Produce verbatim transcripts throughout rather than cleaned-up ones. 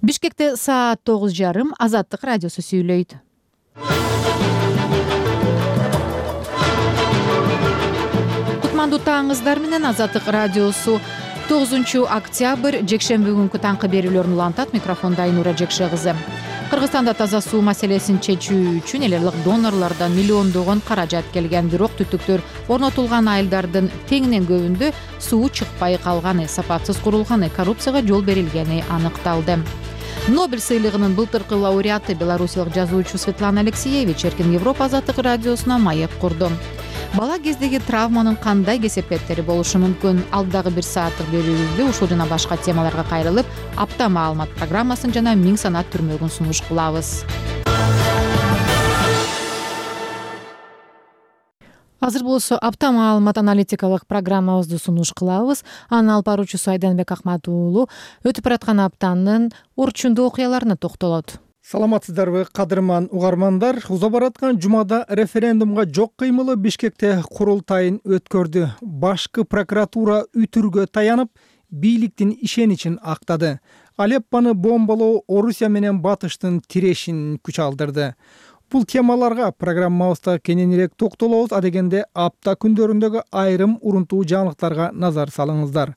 Бишкекте саат тогуз жарым. Азаттык радиосу сүйлөйт. Кутмандуу таңыңыздар менен Азаттык радиосу тогузунчу октябрь жекшемби күнкү таңкы берүүлөрүн улантат. Микрофонда Айнура Жекше кызы. Кыргызстанда таза суу маселесин чечүү үчүн элек донорлордон миллиондогон каражат келген, бирок түтүктөр орнотулган айылдардын теңинен көбүндө суу чыкпай калганы, сапатсыз курулганы, коррупцияга жол берилгени аныкталды. Нобель сыйлыгынын былтыркы лауреаты белорусиялык жазуучу Светлана Алексеевич эркин Европа азаттык радиосуна маек курду. Бала кездеги травманын кандай кесепеттери болушу мүмкүн? Алдагы бир сааттык берүүбүздө ушул жана башка темаларга кайрылып, апта маалымат программасын жана миң санат түрмөгүн сунуш кылабыз. Азыр болсо апта маалымат аналитикалык программабызды сунуш кылабыз. Анын алып баруучусу Айданбек Акмат уулу өтүп бараткан аптанын орчундуу окуяларына токтолот. Саламатсыздарбы, кадырман угармандар. Уза бараткан жумада референдумга жок кыймылы Бишкекте курултайын өткөрдү. Башкы прокуратура үтүргө таянып, бийликтин ишеничин актады. Алеппону бомбалоо Орусия менен Батыштын тирешин күч алдырды. Бул темаларга программабызда кененирээк токтолобуз. Адегенде апта күндөрүндөгү айрым урунтуу жаңылыктарга назар салыңыздар.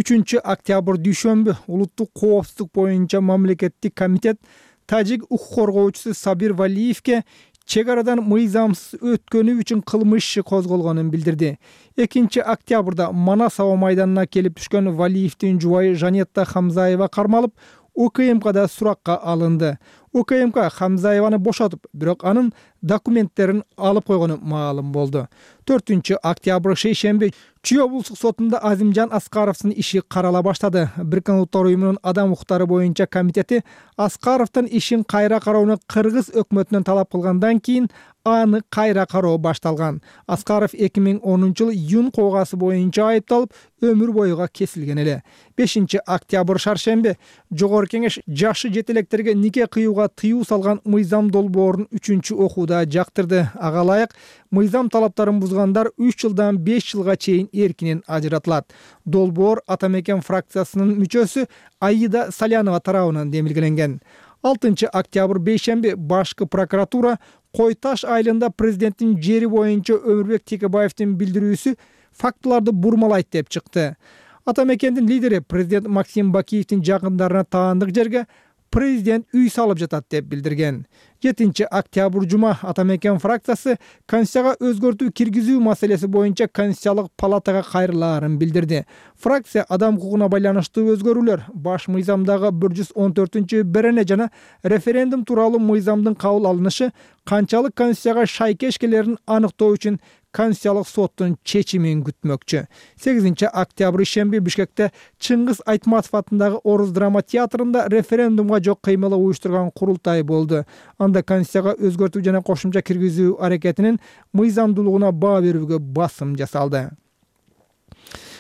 үчүнчү октябрь дүйшөмбү улуттук коопсуздук боюнча мамлекеттик комитет тажик укук коргоочусу Сабир Валиевке чек арадан мыйзамсыз өткөнү үчүн кылмыш иши козголгонун билдирди. экинчи октябрда Манас аба майданына келип түшкөн Валиевдин жубайы Жанетта Хамзаева кармалып, УКМКда суракка алынды. УКМК Хамзаеваны бошотуп, бирок анын документтерин алып койгону маалым болду. төртүнчү октябрь шейшемби Чүй облустук сотунда Азимжан Аскаровдун иши карала баштады. Бириккен Улуттар уюмунун адам укуктары боюнча комитети Аскаровдун ишин кайра кароону Кыргыз өкмөтүнөн талап кылгандан кийин аны кайра кароо башталган. Аскаров эки миң онунчу жылы Юн коогасы боюнча айыпталып, өмүр боюга кесилген эле. бешинчи октябрь шаршемби Жогорку Кеңеш жашы жетелектерге нике кыюуга тыюу салган мыйзам долбоорун үчүнчү окууда жактырды. Ага ылайык мыйзам талаптарын бузгандар үч жылдан беш жылга чейин эркинен ажыратылат. Долбоор Ата Мекен фракциясынын мүчөсү Аида Салянова тарабынан демилгеленген. алтынчы октябрь бейшемби башкы прокуратура Кой Таш айылында президенттин жери боюнча Өмүрбек Текебаевдин билдирүүсү фактыларды бурмалайт деп чыкты. Ата Мекендин лидери президент Максим Бакиевдин жакындарына таандык жерге президент үй салып жатат деп билдирген. жетинчи октябрь жума Ата Мекен фракциясы Конституцияга өзгөртүү киргизүү маселеси боюнча Конституциялык палатага кайрылаарын билдирди. Фракция адам укугуна байланыштуу өзгөрүүлөр, баш мыйзамдагы бир жүз он төртүнчү берене жана референдум тууралуу мыйзамдын кабыл алынышы канчалык Конституцияга шайкеш келерин аныктоо үчүн Конституциялык соттун чечимин күтмөкчү. сегизинчи октябрь ишемби Бишкекте Чыңгыз Айтматов атындагы Орус драма театрында референдумга жок кыймылы уюштурган курултай болду. Анда Конституцияга өзгөртүү жана кошумча киргизүү аракетинин мыйзамдуулугуна баа берүүгө басым жасалды.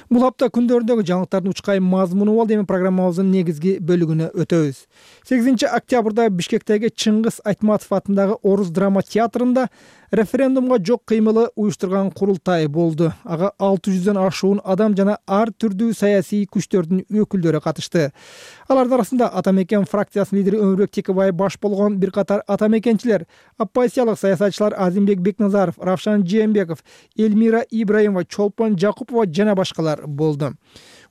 Бул апта күндөрүндөгү жаңылыктардын учкайым мазмуну болду. Эми программабыздын негизги бөлүгүнө өтөбүз. сегизинчи октябрда Бишкектеги Чыңгыз Айтматов атындагы Орус драма театрында референдумга жок кыймылы уюштурган курултай болду. Ага алты жүздөн ашуун адам жана ар түрдүү саясий күчтөрдүн өкүлдөрү катышты. Алардын арасында Ата Мекен фракциясынын лидери Өмүрбек Текебаев баш болгон бир катар ата мекенчилер, оппозициялык саясатчылар Азимбек Бекназаров, Равшан Жээнбеков, Эльмира Ибраимова, Чолпон Жакупова жана башкалар болду.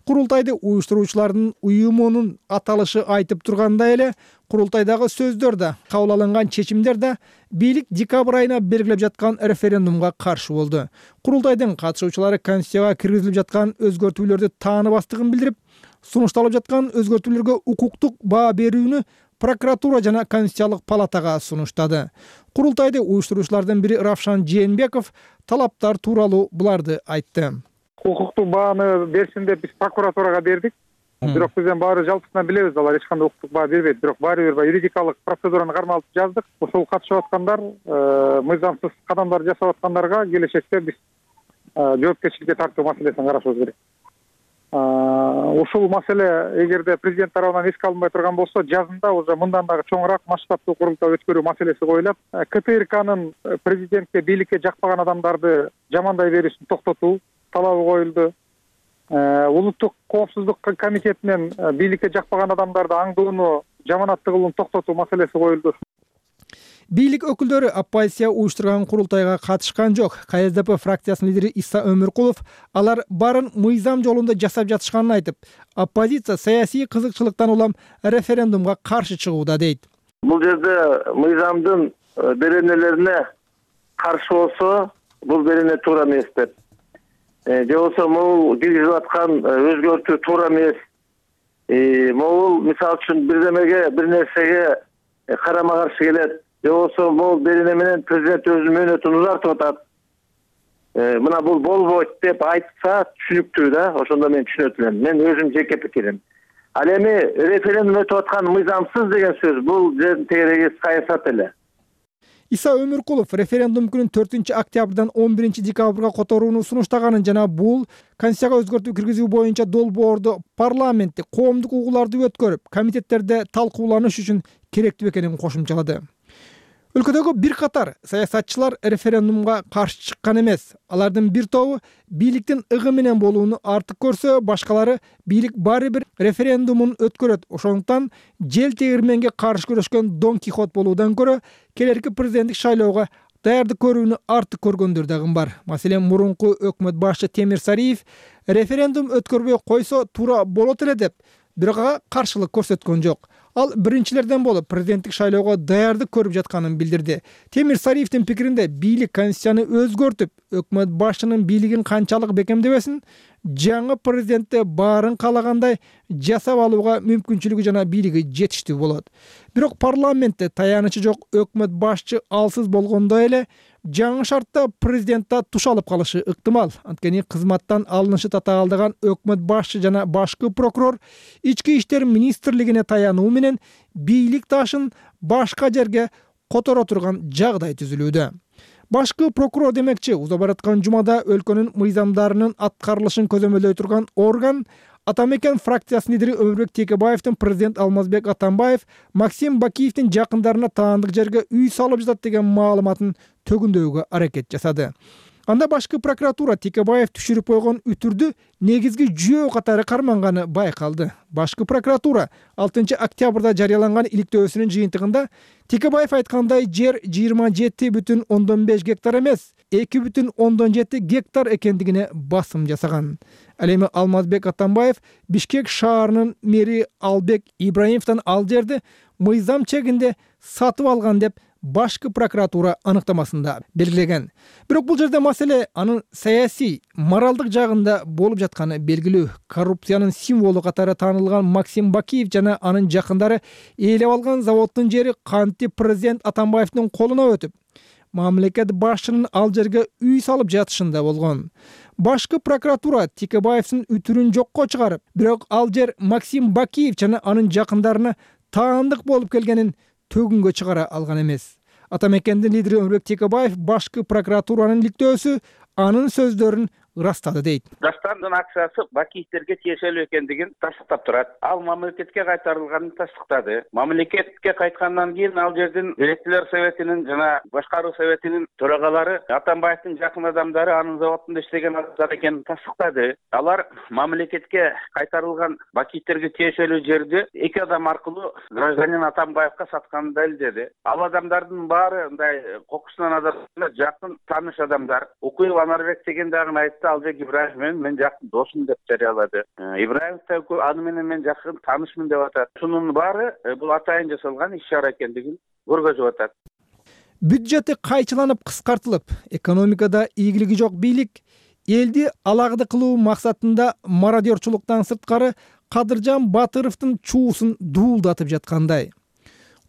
Курултайды уюштуруучулардын уюмунун аталышы айтып тургандай эле, курултайдагы сөздөр да, кабыл алынган чечимдер да бийлик декабрь айына белгилеп жаткан референдумга каршы болду. Курултайдын катышуучулары Конституцияга киргизилип жаткан өзгөртүүлөрдү тааныбастыгын билдирип, сунушталып жаткан өзгөртүүлөргө укуктук баа берүүнү прокуратура жана Конституциялык палатага сунуштады. Курултайды уюштуруучулардын бири Равшан Жээнбеков талаптар тууралуу буларды айтты. Укуктук бааны берсин деп биз прокуратурага бердик. Бирок бизден баары жалпысынан билебиз, алар эч кандай укуктук баа бербейт. Бирок баары бир юридикалык процедураны кармалып жаздык. Ошол катышып аткандар, мыйзамсыз кадамдар жасап аткандарга келечекте биз жоопкерчиликке тартуу маселесин карашыбыз керек. Ушул маселе эгерде президент тарабынан эске алынбай турган болсо, жазында уже мындан дагы чоңураак масштабтуу курултай өткөрүү маселеси коюлат. КТРКнын президентке, бийликке жакпаган адамдарды жамандай берүүсүн токтотуу талабы коюлду. Улуттук коопсуздук комитетинен бийликке жакпаган адамдарды аңдууну жаманаттыгылууну токтотуу маселеси коюлду. Бийлик өкүлдөрү оппозиция уюштурган курултайга катышкан жок. ка эс дэ пэ фракциясынын лидери Иса Өмүркулов алар баарын мыйзам жолунда жасап жатышканын айтып, оппозиция саясий кызыкчылыктан улам референдумга каршы чыгууда дейт. Бул жерде мыйзамдын беренелерине каршы болсо, бул берене туура эмес деп. Же болбосо могул киргизип аткан өзгөртүү туура эмес. Могул мисалы үчүн бирдемеге, бир нерсеге карама каршы келет. Же болбосо могул берене менен президент өзүнүн мөөнөтүн узартып атат. Мына бул болбойт деп айтса түшүнүктүү да, ошондо мен түшүнөт элем. Мен өзүм жеке пикирим. Ал эми референдум өтүп аткан мыйзамсыз деген сөз бул жердин тегереги саясат эле. Иса Өмүркулов референдум күнүн төртүнчү октябрдан он биринчи декабрга которууну сунуштаганын жана бул Конституцияга өзгөртүү киргизүү боюнча долбоорду парламентте коомдук угууларды өткөрүп, комитеттерде талкууланыш үчүн керектүү экенин кошумчалады. Өлкөдөгү бир катар саясатчылар референдумга каршы чыккан эмес. Алардын бир тобу бийликтин ыгы менен болууну артык көрсө, башкалары бийлик баары бир референдумун өткөрөт. Ошондуктан жел тегирменге каршы күрөшкөн Дон Кихот болуудан көрө келерки президенттик шайлоого даярдык көрүүнү артык көргөндөр дагы бар. Маселен, мурунку өкмөт башчы Темир Сариев референдум өткөрбөй койсо туура болот эле деп, бирок ага каршылык көрсөткөн жок. Ал биринчилерден болуп президенттик шайлоого даярдык көрүп жатканын билдирди. Темир Сариевдин пикиринде бийлик конституцияны өзгөртүп, өкмөт башчынын бийлигин канчалык бекемдебесин, жаңы президентте баарын каалагандай жасап алууга мүмкүнчүлүгү жана бийлиги жетиштүү болот. Бирок парламентте таянычы жок өкмөт башчы алсыз болгондой эле жаңы шартта президентте туш алып калышы ыктымал. Анткени кызматтан алынышы татаалдаган өкмөт башчы жана башкы прокурор ички иштер министрлигине таянуу менен бийлик ташын башка жерге которо турган жагдай түзүлүүдө. Башкы прокурор демекчи, уза бараткан жумада өлкөнүн мыйзамдарынын аткарылышын көзөмөлдөй турган орган Атамекен фракциясынын лидери Өмүрбек Текебаевдин президент Алмазбек Атамбаев Максим Бакиевдин жакындарына таандык жерге үй салып жатат деген маалыматын төгүндөөгө аракет жасады. Анда башкы прокуратура Текебаев түшүрүп койгон үтүрдү негизги жүйөө катары карманганы байкалды. Башкы прокуратура алтынчы октябрда жарыяланган иликтөөсүнүн жыйынтыгында Текебаев айткандай жер жыйырма жети бүтүн ондон беш гектар эмес, эки бүтүн ондон жети гектар экендигине басым жасаган. Ал эми Алмазбек Атамбаев Бишкек шаарынын мэри Албек Ибраимовдон ал жерди мыйзам чегинде сатып алган деп башкы прокуратура аныктамасында белгилеген. Бирок бул жерде маселе анын саясий, моралдык жагында болуп жатканы белгилүү. Коррупциянын символу катары таанылган Максим Бакиев жана анын жакындары ээлеп алган заводдун жери кантип президент Атамбаевдин колуна өтүп, мамлекет башчынын ал жерге үй салып жатышында болгон. Башкы прокуратура Текебаевдин үтүрүн жокко чыгарып, бирок ал жер Максим Бакиев жана анын жакындарына таандык болуп келгенин төгүнгө чыгара алган эмес. Атамекендин лидери Өмүрбек Текебаев башкы прокуратуранын иликтөөсү анын сөздөрүн ырастады дейт. Даштандын акчасы Бакиевтерге тиешелүү экендигин тастыктап турат. Ал мамлекетке кайтарылганын тастыктады. Мамлекетке кайткандан кийин ал жердин директорлор советинин жана башкаруу советинин төрагалары Атамбаевдин жакын адамдары анын заводунда иштеген адамдар экенин тастыктады. Алар мамлекетке кайтарылган Бакиевтерге тиешелүү жерди эки адам аркылуу гражданин Атамбаевга сатканын далилдеди. Ал адамдардын баары мындай кокусунан адамдар, жакын тааныш адамдар. Укуев Анарбек деген дагы айтты, Албек Ибраев менен мен жакын досум деп жарыялады. Ибраев да аны менен мен жакын таанышмын деп атат. Шунун баары бул атайын жасалган иш-чара экендигин көргөзүп атат. Бюджети кайчыланып кыскартылып, экономикада ийгилиги жок бийлик элди алагды кылуу максатында мародерчулуктан сырткары Кадыржан Батыровдун чуусун дуулдатып жаткандай.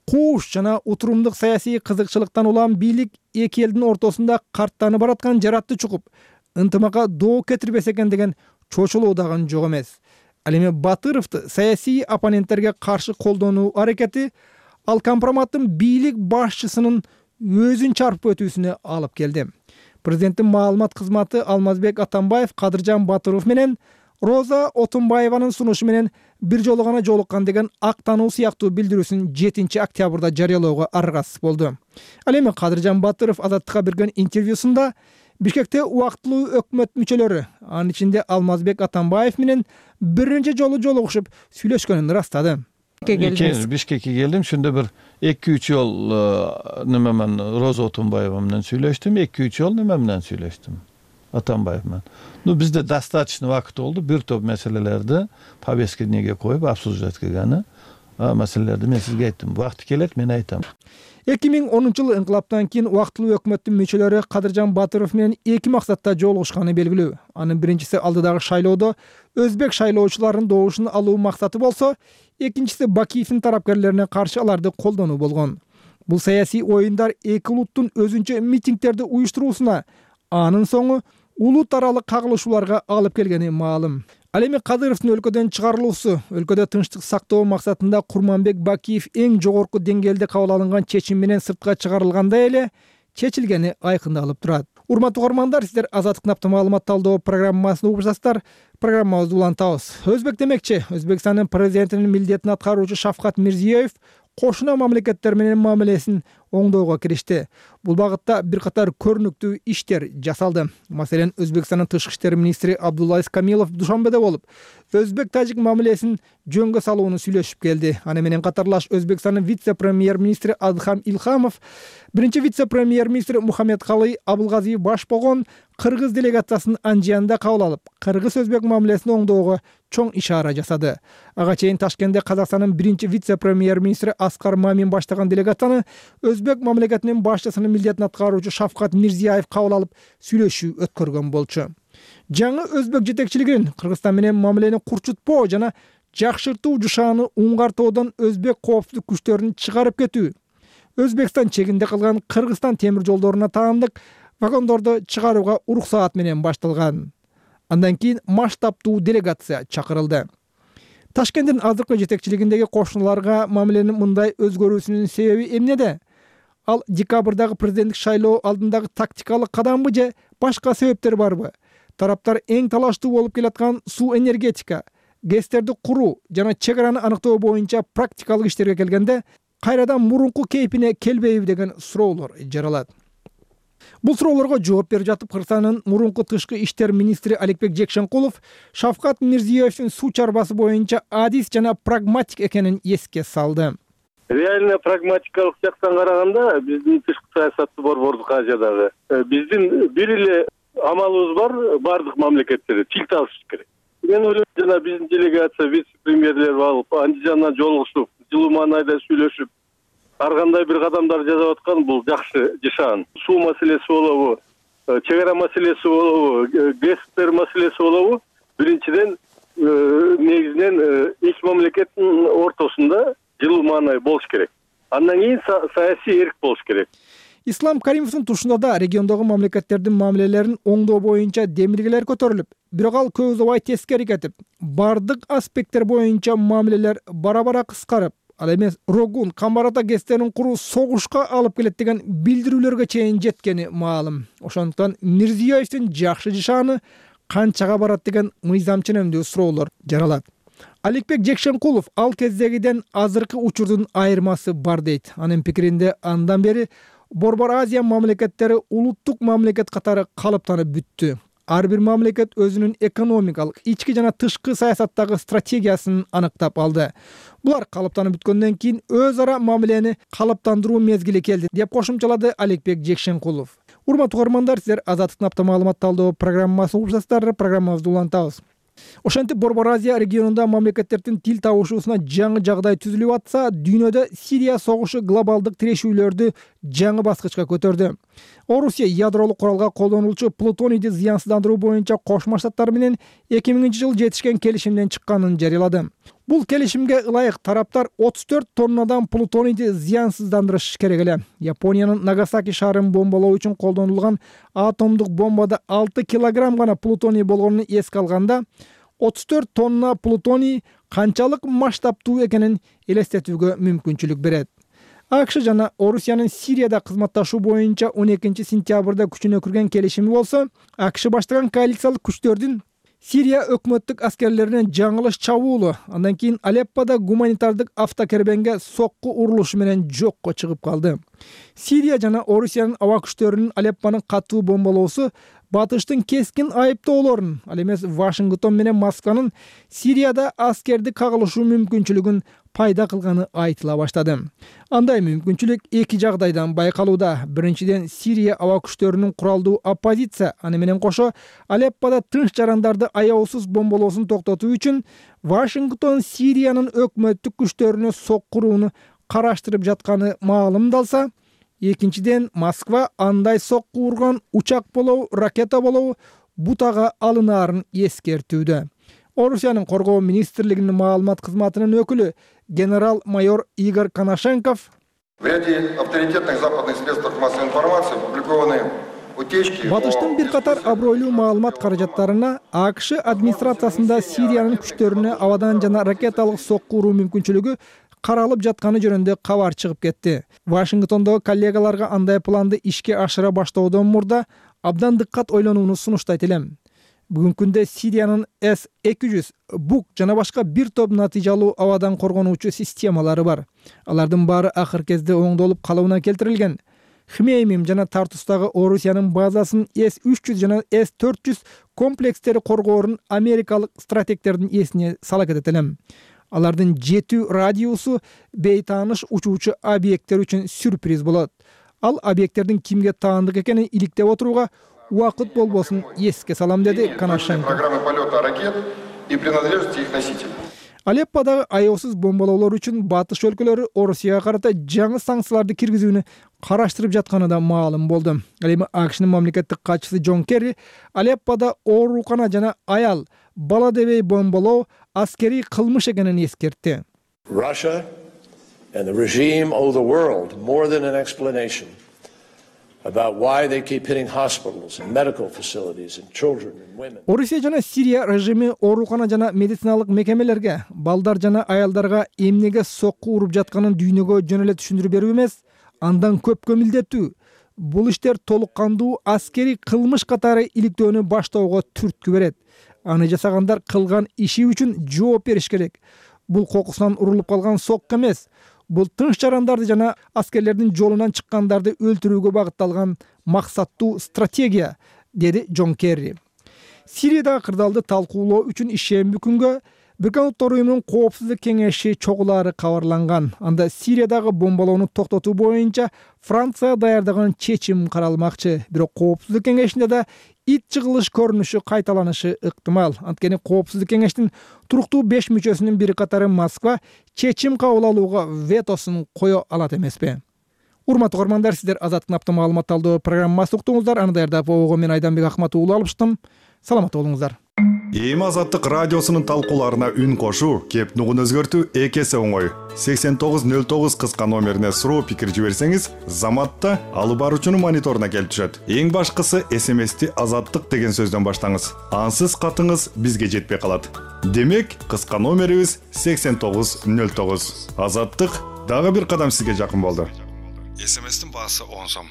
Кууш жана утурумдук саясий кызыкчылыктан улам бийлик эки элдин ортосунда карттанып бараткан жаратты чукуп, ынтымакка доо кетирбесе экен деген чочулуу дагы жок эмес. Ал эми Батыровду саясий оппоненттерге каршы колдонуу аракети ал компроматтын бийлик башчысынын өзүн чарпып өтүүсүнө алып келди. Президенттин маалымат кызматы Алмазбек Атамбаев Кадыржан Батыров менен Роза Отунбаеванын сунушу менен бир жолу гана жолуккан деген актануу сыяктуу билдирүүсүн жетинчи октябрда жарыялоого аргасыз болду. Ал эми Кадыржан Батыров Азаттыкка берген интервьюсунда Бишкекте убактылуу өкмөт мүчөлөрү, анын ичинде Алмазбек Атамбаев менен биринчи жолу жолугушуп сүйлөшкөнүн ырастады. келдиңиз? Бишкекке келдим. Шунда бир эки үч жол неме мен Роза Отунбаева менен сүйлөштүм. эки үч жол неме менен сүйлөштүм. Атамбаев менен. Ну бизде достаточно вакыт болду. Бир топ маселелерди повестка неге коюп обсуждать кылганы. А маселелерди мен сизге айттым. Вакыты келет, мен айтам. эки миң онунчу жылы инкылаптан кийин убактылуу өкмөттүн мүчөлөрү Кадыржан Батыров менен эки максатта жолугушканы белгилүү. Анын биринчиси алдыдагы шайлоодо өзбек шайлоочуларынын добушун алуу максаты болсо, экинчиси Бакиевдин тарапкерлерине каршы аларды колдонуу болгон. Бул саясий оюндар эки улуттун өзүнчө митингдерди уюштуруусуна, анын соңу улут аралык кагылышууларга алып келгени маалым. Ал эми Кадыровдун өлкөдөн чыгарылуусу, өлкөдө тынчтык сактоо максатында Курманбек Бакиев эң жогорку деңгээлде кабыл алынган чечим менен сыртка чыгарылгандай эле чечилгени айкындалып турат. Урматтуу угармандар, сиздер Азаттык напты маалымат талдоо программасын угуп жатасыздар. Программабызды улантабыз. Өзбек демекчи, Өзбекстандын президентинин милдетин аткаруучу Шавкат Мирзиёев кошуна мамлекеттер менен мамилесин оңдоого киришти. Бул багытта бир катар көрүнүктүү иштер жасалды. Маселен, Өзбекстандын тышкы иштер министри Абдуллаис Камилов Душанбеде болуп, өзбек-тажик мамилесин жөнгө салууну сүйлөшүп келди. Аны менен катарлаш Өзбекстандын вице-премьер-министри Адхам Илхамов, биринчи вице-премьер-министри Мухаммед Калый Абылгазиев баш болгон кыргыз делегациясын Анжиянда кабыл алып, кыргыз-өзбек мамилесин оңдоого чоң ишара жасады. Ага чейин Ташкентте Казакстандын биринчи вице-премьер-министри Аскар Мамин баштаган делегацияны Өзбек мамлекетинин башчысынын милдетин аткаруучу Шавкат Мирзиёев кабыл алып, сүйлөшүү өткөргөн болчу. Жаңы өзбек жетекчилигинин Кыргызстан менен мамилени курчутпоо жана жакшыртуу жушааны уңгартоодон өзбек коопсуздук күчтөрүн чыгарып кетүү, Өзбекстан чегинде калган Кыргызстан темир жолдоруна таандык вагондорду чыгарууга уруксаат менен башталган. Андан кийин масштабтуу делегация чакырылды. Ташкенттин азыркы жетекчилигиндеги кошуналарга мамиленин мындай өзгөрүүсүнүн себеби эмнеде? Ал декабрдагы президенттик шайлоо алдындагы тактикалык кадамбы же башка себептер барбы? Тараптар эң талаштуу болуп келаткан суу энергетика, гэстерди куруу жана чек араны аныктоо боюнча практикалык иштерге келгенде кайрадан мурунку кейпине келбейби деген суроолор жаралат. Бул суроолорго жооп берип жатып, Кыргызстандын мурунку тышкы иштер министри Аликбек Жекшенкулов Шавкат Мирзиёевдин суу чарбасы боюнча адис жана прагматик экенин эске салды. Реально прагматикалык жактан караганда биздин тышкы саясатты борбордук Азиядагы биздин бир эле амалыбыз бар, бардык мамлекеттерде тил табышыш керек. Мен ойлойм, жана биздин делегация вице-премьерлер алып, Андижандан жолугушуп, жылуу маанайда сүйлөшүп, ар кандай бир кадамдар жасап аткан бул жакшы жашаан. Суу маселеси болобу, чек ара маселеси болобу, гэстер маселеси болобу, биринчиден негизинен эки мамлекеттин ортосунда жылуу маанай болуш керек. Андан кийин саясий эрк болуш керек. Ислам Каримовдун тушунда да региондогу мамлекеттердин мамилелерин оңдоо боюнча демилгелер көтөрүлүп, бирок ал көп убай тескери кетип, бардык аспекттер боюнча мамилелер бара-бара кыскарып, ал эмес Рогун, Камбарата гэстерин куруу согушка алып келет деген билдирүүлөргө чейин жеткени маалым. Ошондуктан Мирзиёевдин жакшы жашааны канчага барат деген мыйзам ченемдүү суроолор жаралат. Аликбек Жекшенкулов ал кездегиден азыркы учурдун айырмасы бар дейт. Анын пикиринде андан бери Борбор Азия мамлекеттери улуттук мамлекет катары калыптанып бүттү. Ар бир мамлекет өзүнүн экономикалык, ички жана тышкы саясаттагы стратегиясын аныктап алды. Булар калыптанып бүткөндөн кийин өз ара мамилени калыптандыруу мезгили келди, деп кошумчалады Аликбек Жекшенкулов. Урматтуу угармандар, сиздер Азаттык напты маалымат талдоо программасын угуп жатасыздар. Программабызды улантабыз. Ошентип Борбор Азия регионунда мамлекеттердин тил табышуусуна жаңы жагдай түзүлүп атса, дүйнөдө Сирия согушу глобалдык тирешүүлөрдү жаңы баскычка көтөрдү. Орусия ядролук куралга колдонулчу плутонийди зыянсыздандыруу боюнча Кошмо Штаттар менен эки миңинчи жылы жетишкен келишимден чыкканын жарыялады. Бул келишимге ылайык тараптар отуз төрт тоннадан плутонийди зыянсыздандырыш керек эле. Япониянын Нагасаки шаарын бомбалоо үчүн колдонулган атомдук бомбада алты килограмм гана плутоний болгонун эске алганда, отуз төрт тонна плутоний канчалык масштабтуу экенин элестетүүгө мүмкүнчүлүк берет. АКШ жана Орусиянын Сирияда кызматташуу боюнча он экинчи сентябрда күчүнө кирген келишими болсо, АКШ баштаган коалициялык күчтөрдүн Сирия өкмөттүк аскерлеринен жаңылыш чабуулу, андан кийин Алеппода гуманитардык автокербенге сокку урулушу менен жокко чыгып калды. Сирия жана Орусиянын аба күчтөрүнүн Алеппону катуу бомбалоосу батыштын кескин айыптоолорун, ал эмес Вашингтон менен Москванын Сирияда аскерди кагылышуу мүмкүнчүлүгүн пайда кылганы айтыла баштады. Андай мүмкүнчүлүк эки жагдайдан байкалууда. Биринчиден, Сирия аба күчтөрүнүн куралдуу оппозиция, аны менен кошо Алеппода тынч жарандарды аяусуз бомбалоосун токтотуу үчүн Вашингтон Сириянын өкмөттүк күчтөрүнө соккурууну караштырып жатканы маалымдалса, экинчиден, Москва андай сокку урган учак болобу, ракета болобу бутага алынаарын эскертүүдө. Орусиянын коргоо министрлигинин маалымат кызматынын өкүлү генерал-майор Игорь Коношенков в ряде авторитетных западных средств массовой информации опубликованы утечки. Батыштын бир катар абройлуу маалымат каражаттарына АКШ администрациясында Сириянын күчтөрүнө абадан жана ракеталык сокку уруу мүмкүнчүлүгү каралып жатканы жөнүндө кабар чыгып кетти. Вашингтондогу коллегаларга андай планды ишке ашыра баштоодон мурда абдан дыккат ойлонууну сунуштайт элем. Бүгүнкү күндө Сириянын эс эки жүз, бук жана башка бир топ натыйжалуу абадан коргонуучу системалары бар. Алардын баары акыр кезде оңдолуп калыбына келтирилген. Хмеймим жана Тартустагы Орусиянын базасын эс үч жүз жана эс төрт жүз комплекстери коргоорун америкалык стратегтердин эсине сала кетет элем. Алардын жетүү радиусу бейтааныш учуучу объекттер үчүн сюрприз болот. Ал объекттердин кимге таандык экенин иликтеп отурууга убакыт болбосун эске салам, деди Коношенко. Программы полета ракет и принадлежности их носителей. Алепподагы аяусуз бомбалоолор үчүн батыш өлкөлөрү Орусияга карата жаңы санкцияларды киргизүүнү караштырып жатканы да маалым болду. Ал эми АКШнын мамлекеттик катчысы Джон Керри Алеппода оорукана жана аял, бала дебей бомбалоо аскерий кылмыш экенин эскертти. Russia and the regime owe the world more than an explanation about why they keep hitting hospitals and medical facilities and children and women. Орусия жана Сирия режими оорукана жана медициналык мекемелерге, балдар жана аялдарга эмнеге сокку уруп жатканын дүйнөгө жөн эле түшүндүрүп берүү эмес, андан көпкө милдеттүү. Бул иштер толук кандуу аскерий кылмыш катары иликтөөнү баштоого түрткү берет. Аны жасагандар кылган иши үчүн жооп бериш керек. Бул кокусунан урулуп калган сокку эмес. Бул тынч жарандарды жана аскерлердин жолунан чыккандарды өлтүрүүгө багытталган максаттуу стратегия, деди Джон Керри. Сириядагы кырдаалды талкуулоо үчүн ишемби күнгө Бириккен Улуттар Уюмунун Коопсуздук кеңеши чогулаары кабарланган. Анда Сириядагы бомбалоону токтотуу боюнча Франция даярдаган чечим каралмакчы. Бирок Коопсуздук кеңешинде да ит жыгылыш көрүнүшү кайталанышы ыктымал. Анткени Коопсуздук кеңештин туруктуу беш мүчөсүнүн бир катары Москва чечим кабыл алууга ветосун кое алат эмеспи? Урматтуу угармандар, сиздер Азаттык наптын маалымат талдоо программасы уктуңуздар. Аны даярдап обого мен Айданбек Акмат уулу алыштым. Саламат болуңуздар. Эми Азаттык радиосунун талкууларына үн кошуу, кеп нугун өзгөртүү эки эсе оңой. сексен тогуз нөл тогуз кыска номерине суроо пикир жиберсеңиз, заматта алып баруучунун мониторуна келип түшөт. Эң башкысы эс эм эсти Азаттык деген сөздөн баштаңыз. Ансыз катыңыз бизге жетпей калат. Демек, кыска номерибиз сексен тогуз нөл тогуз. Азаттык дагы бир кадам сизге жакын болду. эс эм эстин баасы он сом.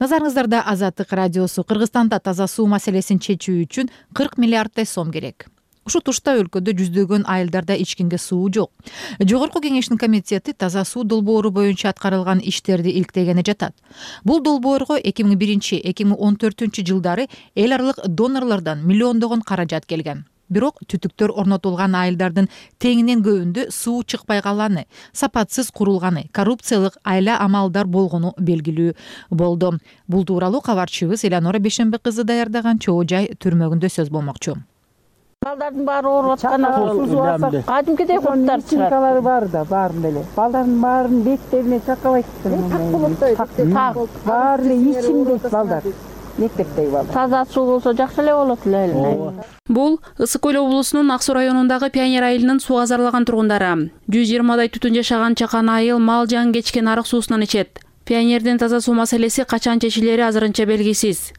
Назарыңыздарда Азаттык радиосу. Кыргызстанда таза суу маселесин чечүү үчүн кырк миллиарддай сом керек. Ушул тушта өлкөдө жүздөгөн айылдарда ичкенге суу жок. Жогорку кеңештин комитети таза суу долбоору боюнча аткарылган иштерди иликтегени жатат. Бул долбоорго эки миң биринчи — эки миң он төртүнчү жылдары эл аралык донорлордон миллиондогон каражат келген. Бирок түтүктөр орнотулган айылдардын теңинен көбүндө суу чыкпай калганы, сапатсыз курулганы, коррупциялык айла амалдар болгону белгилүү болду. Бул тууралуу кабарчыбыз Эланора Бешенбе кызы даярдаган Чоо жай түрмөгүндө сөз болмокчу. Балдардын баары ооруп атканы кадимкидей курттар чыгат. Бар да, баарын эле. Балдардын баарын беттерине чакабайт. Так, баары эле ичимдейт балдар. Мектептеги балдар. Таза суу болсо жакшы эле болот эле. Бул Ысык Көл облусунун Ак Суу районундагы Пионер айылынын сууга зарлаган тургундары. жүз жыйырмадай түтүн жашаган чакан айыл мал жан кечкен арык суусунан ичет. Пионердин таза суу маселеси качан чечилери азырынча белгисиз.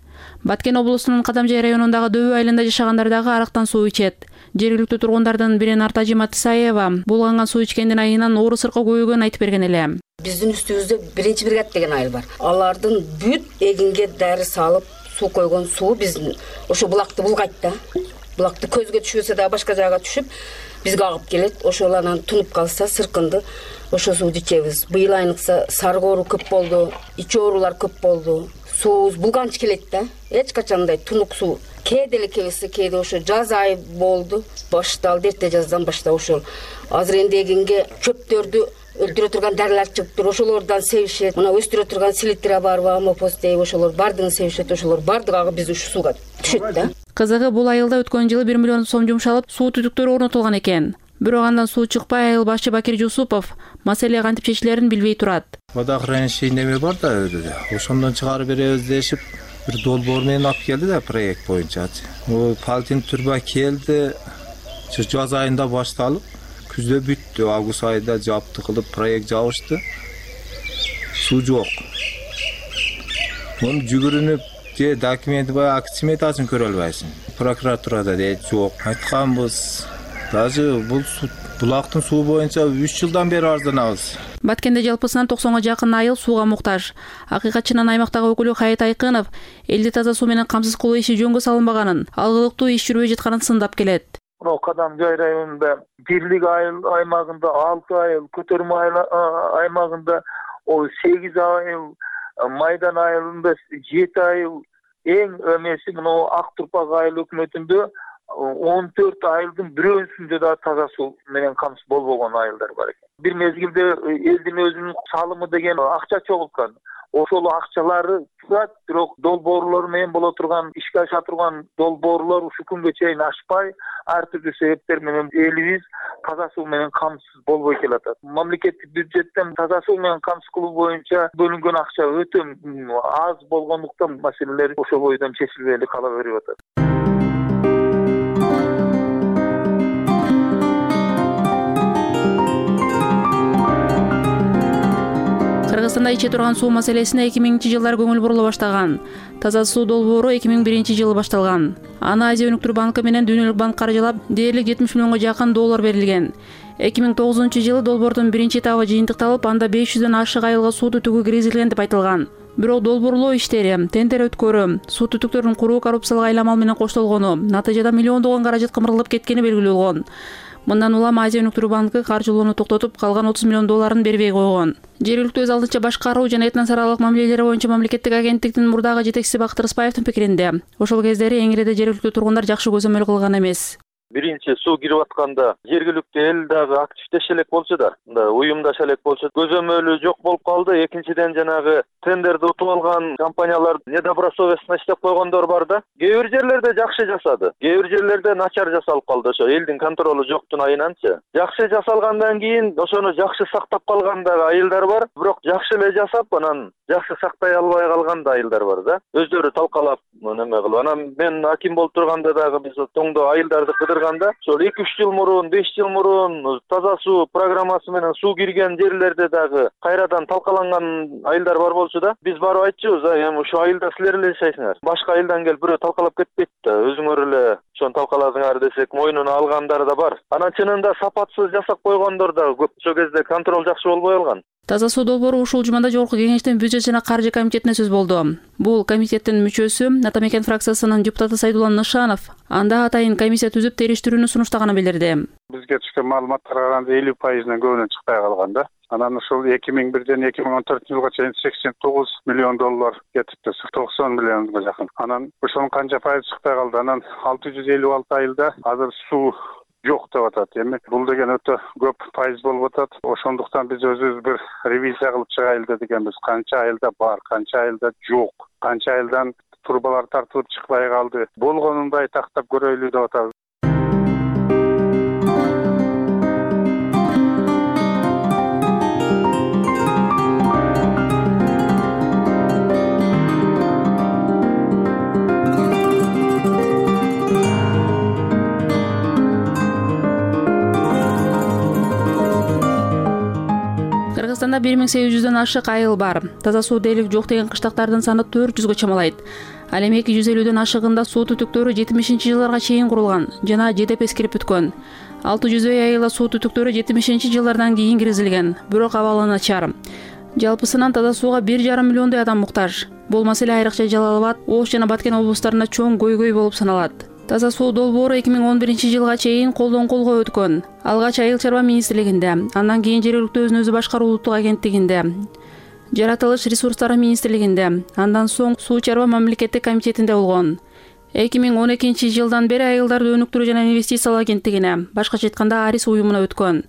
Баткен облусунун Кадамжай районундагы Дөбү айылында жашагандар дагы арыктан суу ичет. Жергиликтүү тургундардын бири Нартажи Матысаева булганган суу ичкендин айынан оору сыркы көбөйгөнүн айтып берген эле. Биздин үстүбүздө биринчи бригада деген айыл бар. Алардын бүт эгинге дары салып суу койгон суу биздин ошо булакты булгайт да. Булакты көзгө түшпөсө дагы башка жакка түшүп, бизге агып келет. Ошол анан тунуп калса сыркынды ошо сууну ичебиз. Быйыл айныкса сарык оору көп болду, ич оорулар көп болду. Суубуз булганч келет да. Эч качандай тунук суу. Кээде эле келсе, кээде ошо жаз айы болду. Башталды, эрте жаздан баштап ошол. Азыр энди эгинге чөптөрдү өлтүрө турган дарылар чыгыптыр. Ошолордон себишет. Мына өстүрө турган селитра барбы, амопос дейби, ошолор бардыгын себишет. Ошолор бардыгы биз ушу сууга түшөт да. Кызыгы бул айылда өткөн жылы бир миллион сом жумшалып, суу түтүктөрү орнотулган экен. Бирок андан суу чыкпай, айыл башчы Бакир Жусупов маселе кантип чечилерин билбей турат. Водоохранилище неме бар да өйдө. Ошондон чыгарып беребиз дешип, бир долбоор менен алып келди да проект боюнча. О палтин турба келди. Жаз айында башталып, күздө бүттү. Август айында жапты кылып проект жабышты. Суу жок. Муну жүгүрүнүп же документи бай акт сметасын көрө албайсың. Прокуратурада дейт жок. Айтканбыз. Даже бул булактын суу боюнча үч жылдан бери арызданабыз. Баткенде жалпысынан токсонго жакын айыл сууга муктаж. Акыйкатчынын аймактагы өкүлү Хайыт Айкынов элди таза суу менен камсыз кылуу иши жөнгө салынбаганын, алгылыктуу иш жүрбөй жатканын сындап келет. Мына Кадамжай районунда бирлик айыл аймагында алты айыл, Көтөрмө аймагында сегиз айыл, Майдан айылында жети айыл, эң эмеси мына Ак Турпак айыл өкмөтүндө он төрт айылдын бирөөсүндө да таза суу менен камсыз болбогон айылдар бар экен. Бир мезгилде элдин өзүнүн салымы деген акча чогулткан. Ошол акчалары турат, бирок долбоорлор менен боло турган, ишке аша турган долбоорлор ушул күнгө чейин ашпай, ар түрдүү себептер менен элибиз таза суу менен камсыз болбой келатат. Мамлекеттик бюджеттен таза суу менен камсыз кылуу боюнча бөлүнгөн акча өтө аз болгондуктан маселелер ошол бойдон чечилбей эле кала берип атат. Кыргызстанда иче турган суу маселесине эки миңинчи жылдары көңүл бурула баштаган. Таза суу долбоору эки миң биринчи жылы башталган. Аны Азия өнүктүрүү банкы менен Дүйнөлүк банк каржылап, дээрлик жетимиш миллионго жакын доллар берилген. эки миң тогузунчу жылы долбоордун биринчи этабы жыйынтыкталып, анда беш жүздөн ашык айылга суу түтүгү киргизилген деп айтылган. Бирок долбоорлоо иштери, тендер өткөрүү, суу түтүктөрүн куруу коррупциялык айламал менен коштолгону, натыйжада миллиондогон каражат кымырылып кеткени белгилүү болгон. Мындан улам Азия өнүктүрүү банкы каржылоону токтотуп, калган отуз миллион долларын бербей койгон. Жергиликтүү өз алдынча башкаруу жана этносаралык мамилелери боюнча мамлекеттик агенттиктин мурдагы жетекчиси Бактыр Ыспаевдин пикиринде, ошол кездери эңиреде жергиликтүү тургундар жакшы көзөмөл кылган эмес. Биринчи суу кирип атканда жергиликтүү эл дагы активдеше элек болчу да, мындай уюмдаша элек болчу. Көзөмөлү жок болуп калды. Экинчиден жанагы тендерди утуп алган компаниялар недобросовестно иштеп койгондор бар да. Кээ бир жерлерде жакшы жасады, кээ бир жерлерде начар жасалып калды. Ошо элдин контролу жоктун айынан,чы. Жакшы жасалгандан кийин ошону жакшы сактап калган дагы айылдар бар, бирок жакшы эле жасап, анан жакшы сактай албай калган да айылдар бар да. Өздөрү талкалап неме кылып. Анан мен аким болуп турганда дагы биз тоңдо айылдарды кыдырганда, ошол эки үч жыл мурун, беш жыл мурун таза суу программасы менен суу кирген жерлерде дагы кайрадан талкаланган айылдар бар болчу да. Биз барып айтчубуз, эми ушул айылда силер эле жашайсыңар. Башка айылдан келип бирөө талкалап кетпейт да. Өзүңөр эле ошону талкаладыңар десек, мойнуна алгандар да бар. Анан чынында сапатсыз жасап койгондор да көп. Ошол кезде контроль жакшы болбой калган. Таза суу долбоору ушул жумада жогорку кеңештин бюджет жана каржы комитетине сөз болду. Бул комитеттин мүчөсү Атамекен фракциясынын депутаты Сайдулла Нышанов анда атайын комиссия түзүп териштирүүнү сунуштаганын билдирди. Бизге түшкөн маалыматтарга караганда элүү пайызынан көбүнөн чыкпай калган да. Анан ушул эки миң бирден эки миң он төртүнчү жылга чейин сексен тогуз миллион доллар кетипти, токсон миллионго жакын. Анан ошонун канча пайызы чыкпай калды. Анан алты жүз элүү алты айылда азыр суу жок деп атат. Эми бул деген өтө көп пайыз болуп атат. Ошондуктан биз өзүбүз бир ревизия кылып чыгайлы дегенбиз. Канча айылда бар, канча айылда жок, канча айылдан турбалар тартылып чыкпай калды. Болгонундай тактап көрөйлү деп атабыз. Кыргызстанда бир миң сегиз жүздөн ашык айыл бар. Таза суу дээрлик жок деген кыштактардын саны төрт жүзгө чамалайт. Ал эми эки жүз элүүдөн ашыгында суу түтүктөрү жетимишинчи жылдарга чейин курулган жана жедеп эскирип бүткөн. алты жүздөй айылда суу түтүктөрү жетимишинчи жылдардан кийин киргизилген, бирок абалы начар. Жалпысынан таза сууга бир жарым миллиондой адам муктаж. Бул маселе айрыкча Жалал абад, Ош жана Баткен облустарында чоң көйгөй болуп саналат. Таза суу долбоору эки миң он биринчи жылга чейин колдон колго өткөн. Алгач Айыл чарба министрлигинде, андан кийин жергиликтүү өзүн өзү башкаруу улуттук агенттигинде, жаратылыш ресурстары министрлигинде, андан соң суу чарба мамлекеттик комитетинде болгон. эки миң он экинчи жылдан бери айылдарды өнүктүрүү жана инвестициялоо агенттигине, башкача айтканда Арис уюмуна өткөн.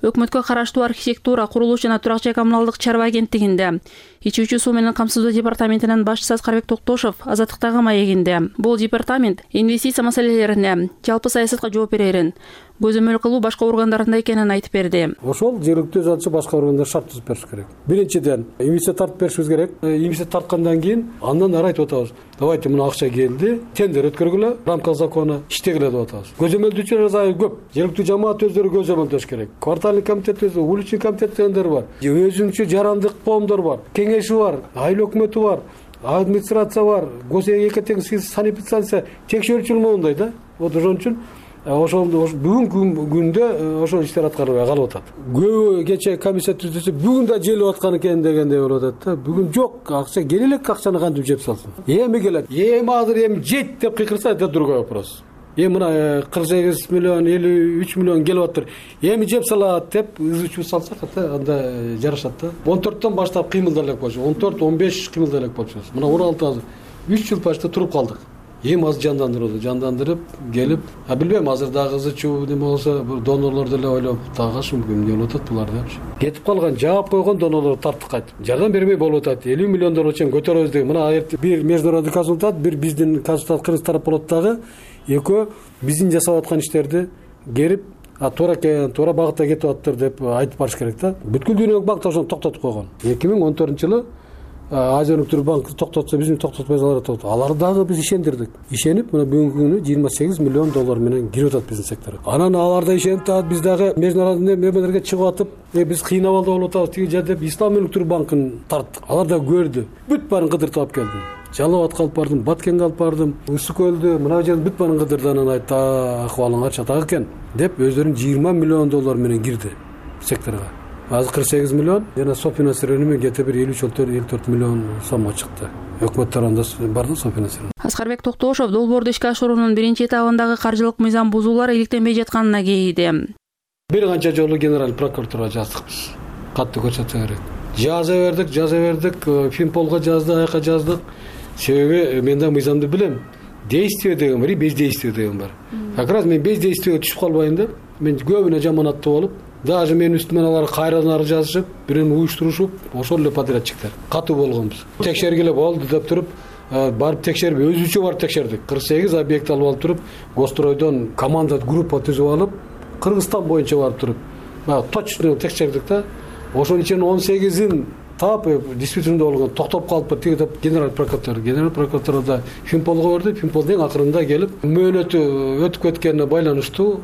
Өкмөткө караштуу архитектура, курулуш жана турак жай коммуналдык чарба агенттигинде, ичүүчү суу менен камсыздоо департаментинин башчысы Аскарбек Токтошов азаттыктагы маегинде. Бул департамент инвестиция маселелерине, жалпы саясатка жооп берерин, көзөмөл кылуу башка органдарында экенин айтып берди. Ошол жергиликтүү өзү башка органдар шарт түзүп бериш керек. Биринчиден, инвестиция тартып беришибиз керек. Инвестиция тарткандан кийин андан ары айтып атабыз. Давайте мына акча келди, тендер өткөргүлө, рамка закона иштегиле деп атабыз. Көзөмөлдүүчүлөр азайып көп. Жергиликтүү жамаат өздөрү көзөмөлдөш керек. Квартальный комитет өзү, улучший комитет дегендер бар. Өзүнчө жарандык коомдор бар, кеңеши бар, айыл өкмөтү бар, администрация бар, госэкотең санэпидстанция текшерүүчүлмөндөй да. Вот ошон үчүн ошол бүгүнкү күндө ошол иштер аткарылбай калып атат. Көбү кечээ комиссия түзүлсө бүгүн да желип аткан экен дегендей болуп атат да. Бүгүн жок, акча келе элек, акчаны кантип жеп салсын. Эми келет. Эми азыр эми жет деп кыйкырса это другой вопрос. Эми мына кырк сегиз миллион, элүү үч миллион келип атыр. Эми жеп салат деп ызычуу салсак анда жарашат да. он төрттөн баштап кыймылдай элек болчу. он төрт он беш кыймылдай элек болчубуз. Мына он алты азыр үч жыл почти туруп калдык. Эми азыр жандандырды, жандандырып келип, а билбейм азыр дагы ызычуу неме болсо, бир донорлор деле ойлоп, тагаш мүмкүн болуп атат булар депчи. Кетип калган, жаап койгон донорлор тартып кайтып. Жардам бермей болуп атат. элүү миллион доллар чейин көтөрөбүз деген. Мына бир международный консультант, бир биздин консультант кыргыз тарап болот дагы. Экөө биздин жасап аткан иштерди керип, а туура туура багытта кетип атыптыр деп айтып барыш керек да. Бүткүл дүйнөлүк банк ошону токтотуп койгон. эки миң он төртүнчү жылы Азия өнүктүрүү банкы токтотсо, биздин токтотпой алар токтотот. Алар дагы биз ишендирдик. Ишенип, мына бүгүнкү күнү жыйырма сегиз миллион доллар менен кирип атат биздин секторго. Анан алар да ишенип атат, биз дагы международный мемлекеттерге чыгып атып, э биз кыйнабалда болуп атабыз, тиги жер деп Ислам өнүктүрүү банкын тарттык. Алар да көрдү. Бүт баарын кыдыртып алып келдим. Жалал Абадка алып бардым, Баткенге алып бардым, Ысык көлдү, мына жердин бүт баарын кыдырды, анан айтты, акыбалыңар чатак экен деп өздөрүнүн жыйырма миллион доллар менен кирди секторго. Азыр кырк сегиз миллион, жана софинансирование менен кете бир элүү үч элүү төрт миллион сомго чыкты. Өкмөт тарабында бар да софинансирование. Аскарбек Токтошов долбоорду ишке ашыруунун биринчи этабындагы каржылык мыйзам бузуулар иликтенбей жатканына кейиди. Бир канча жолу генералдык прокуратурага жаздык биз. Катты көрсөтсө керек. Жаза бердик, жаза бердик, Финполго жаздык, аяка жаздык. Себеби мен да мыйзамды билем. Действие деген бар, бездействие деген бар. Как раз мен бездействиеге түшүп калбайын деп, мен көбүнө жаманаттуу болуп, даже мен үстүмөн алар кайрадан ары жазышып, бирин уюштурушуп, ошол эле подрядчиктер катуу болгонбуз. Текшергиле болду деп туруп, барып текшерип, өзүчө барып текшердик. кырк сегиз объект алып алып туруп, Гостройдон команда группа түзүп алып, Кыргызстан боюнча барып туруп, баягы точно текшердик да. Ошонун ичинен он сегизин таап действительно болгон, токтоп калыппы тиги деп генерал прокурор, генерал прокуратурада Финполго берди, Финполдун акырында келип, мөөнөтү өтүп кеткенине байланыштуу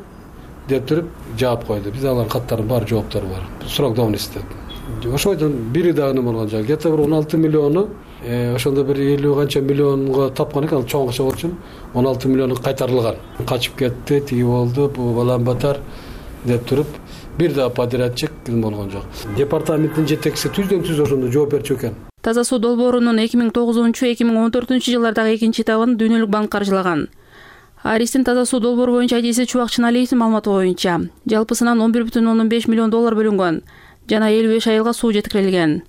деп туруп жаап койду. Биз алардын каттарынын баары жооптор бар. Срок давности деп. Ошойдон бири дагы неме болгон жок. Где-то бир он алты миллиону, ошондо бир элүү канча миллионго тапкан экен, чоң акча болчу. он алты миллиону кайтарылган. Качып кетти, тиги болду, бу балам батар деп туруп бир дагы подрядчик болгон жок. Департаменттин жетекчиси түздөн түз ошондо жооп берчү экен. Таза суу долбоорунун эки миң тогузунчу эки миң он төртүнчү жылдардагы экинчи этабын Дүйнөлүк банк каржылаган. Аристин таза суу долбоору боюнча адиси Чубак Чыналиевдин маалыматы боюнча жалпысынан он бир бүтүн ондон беш миллион доллар бөлүнгөн жана элүү беш айылга суу жеткирилген.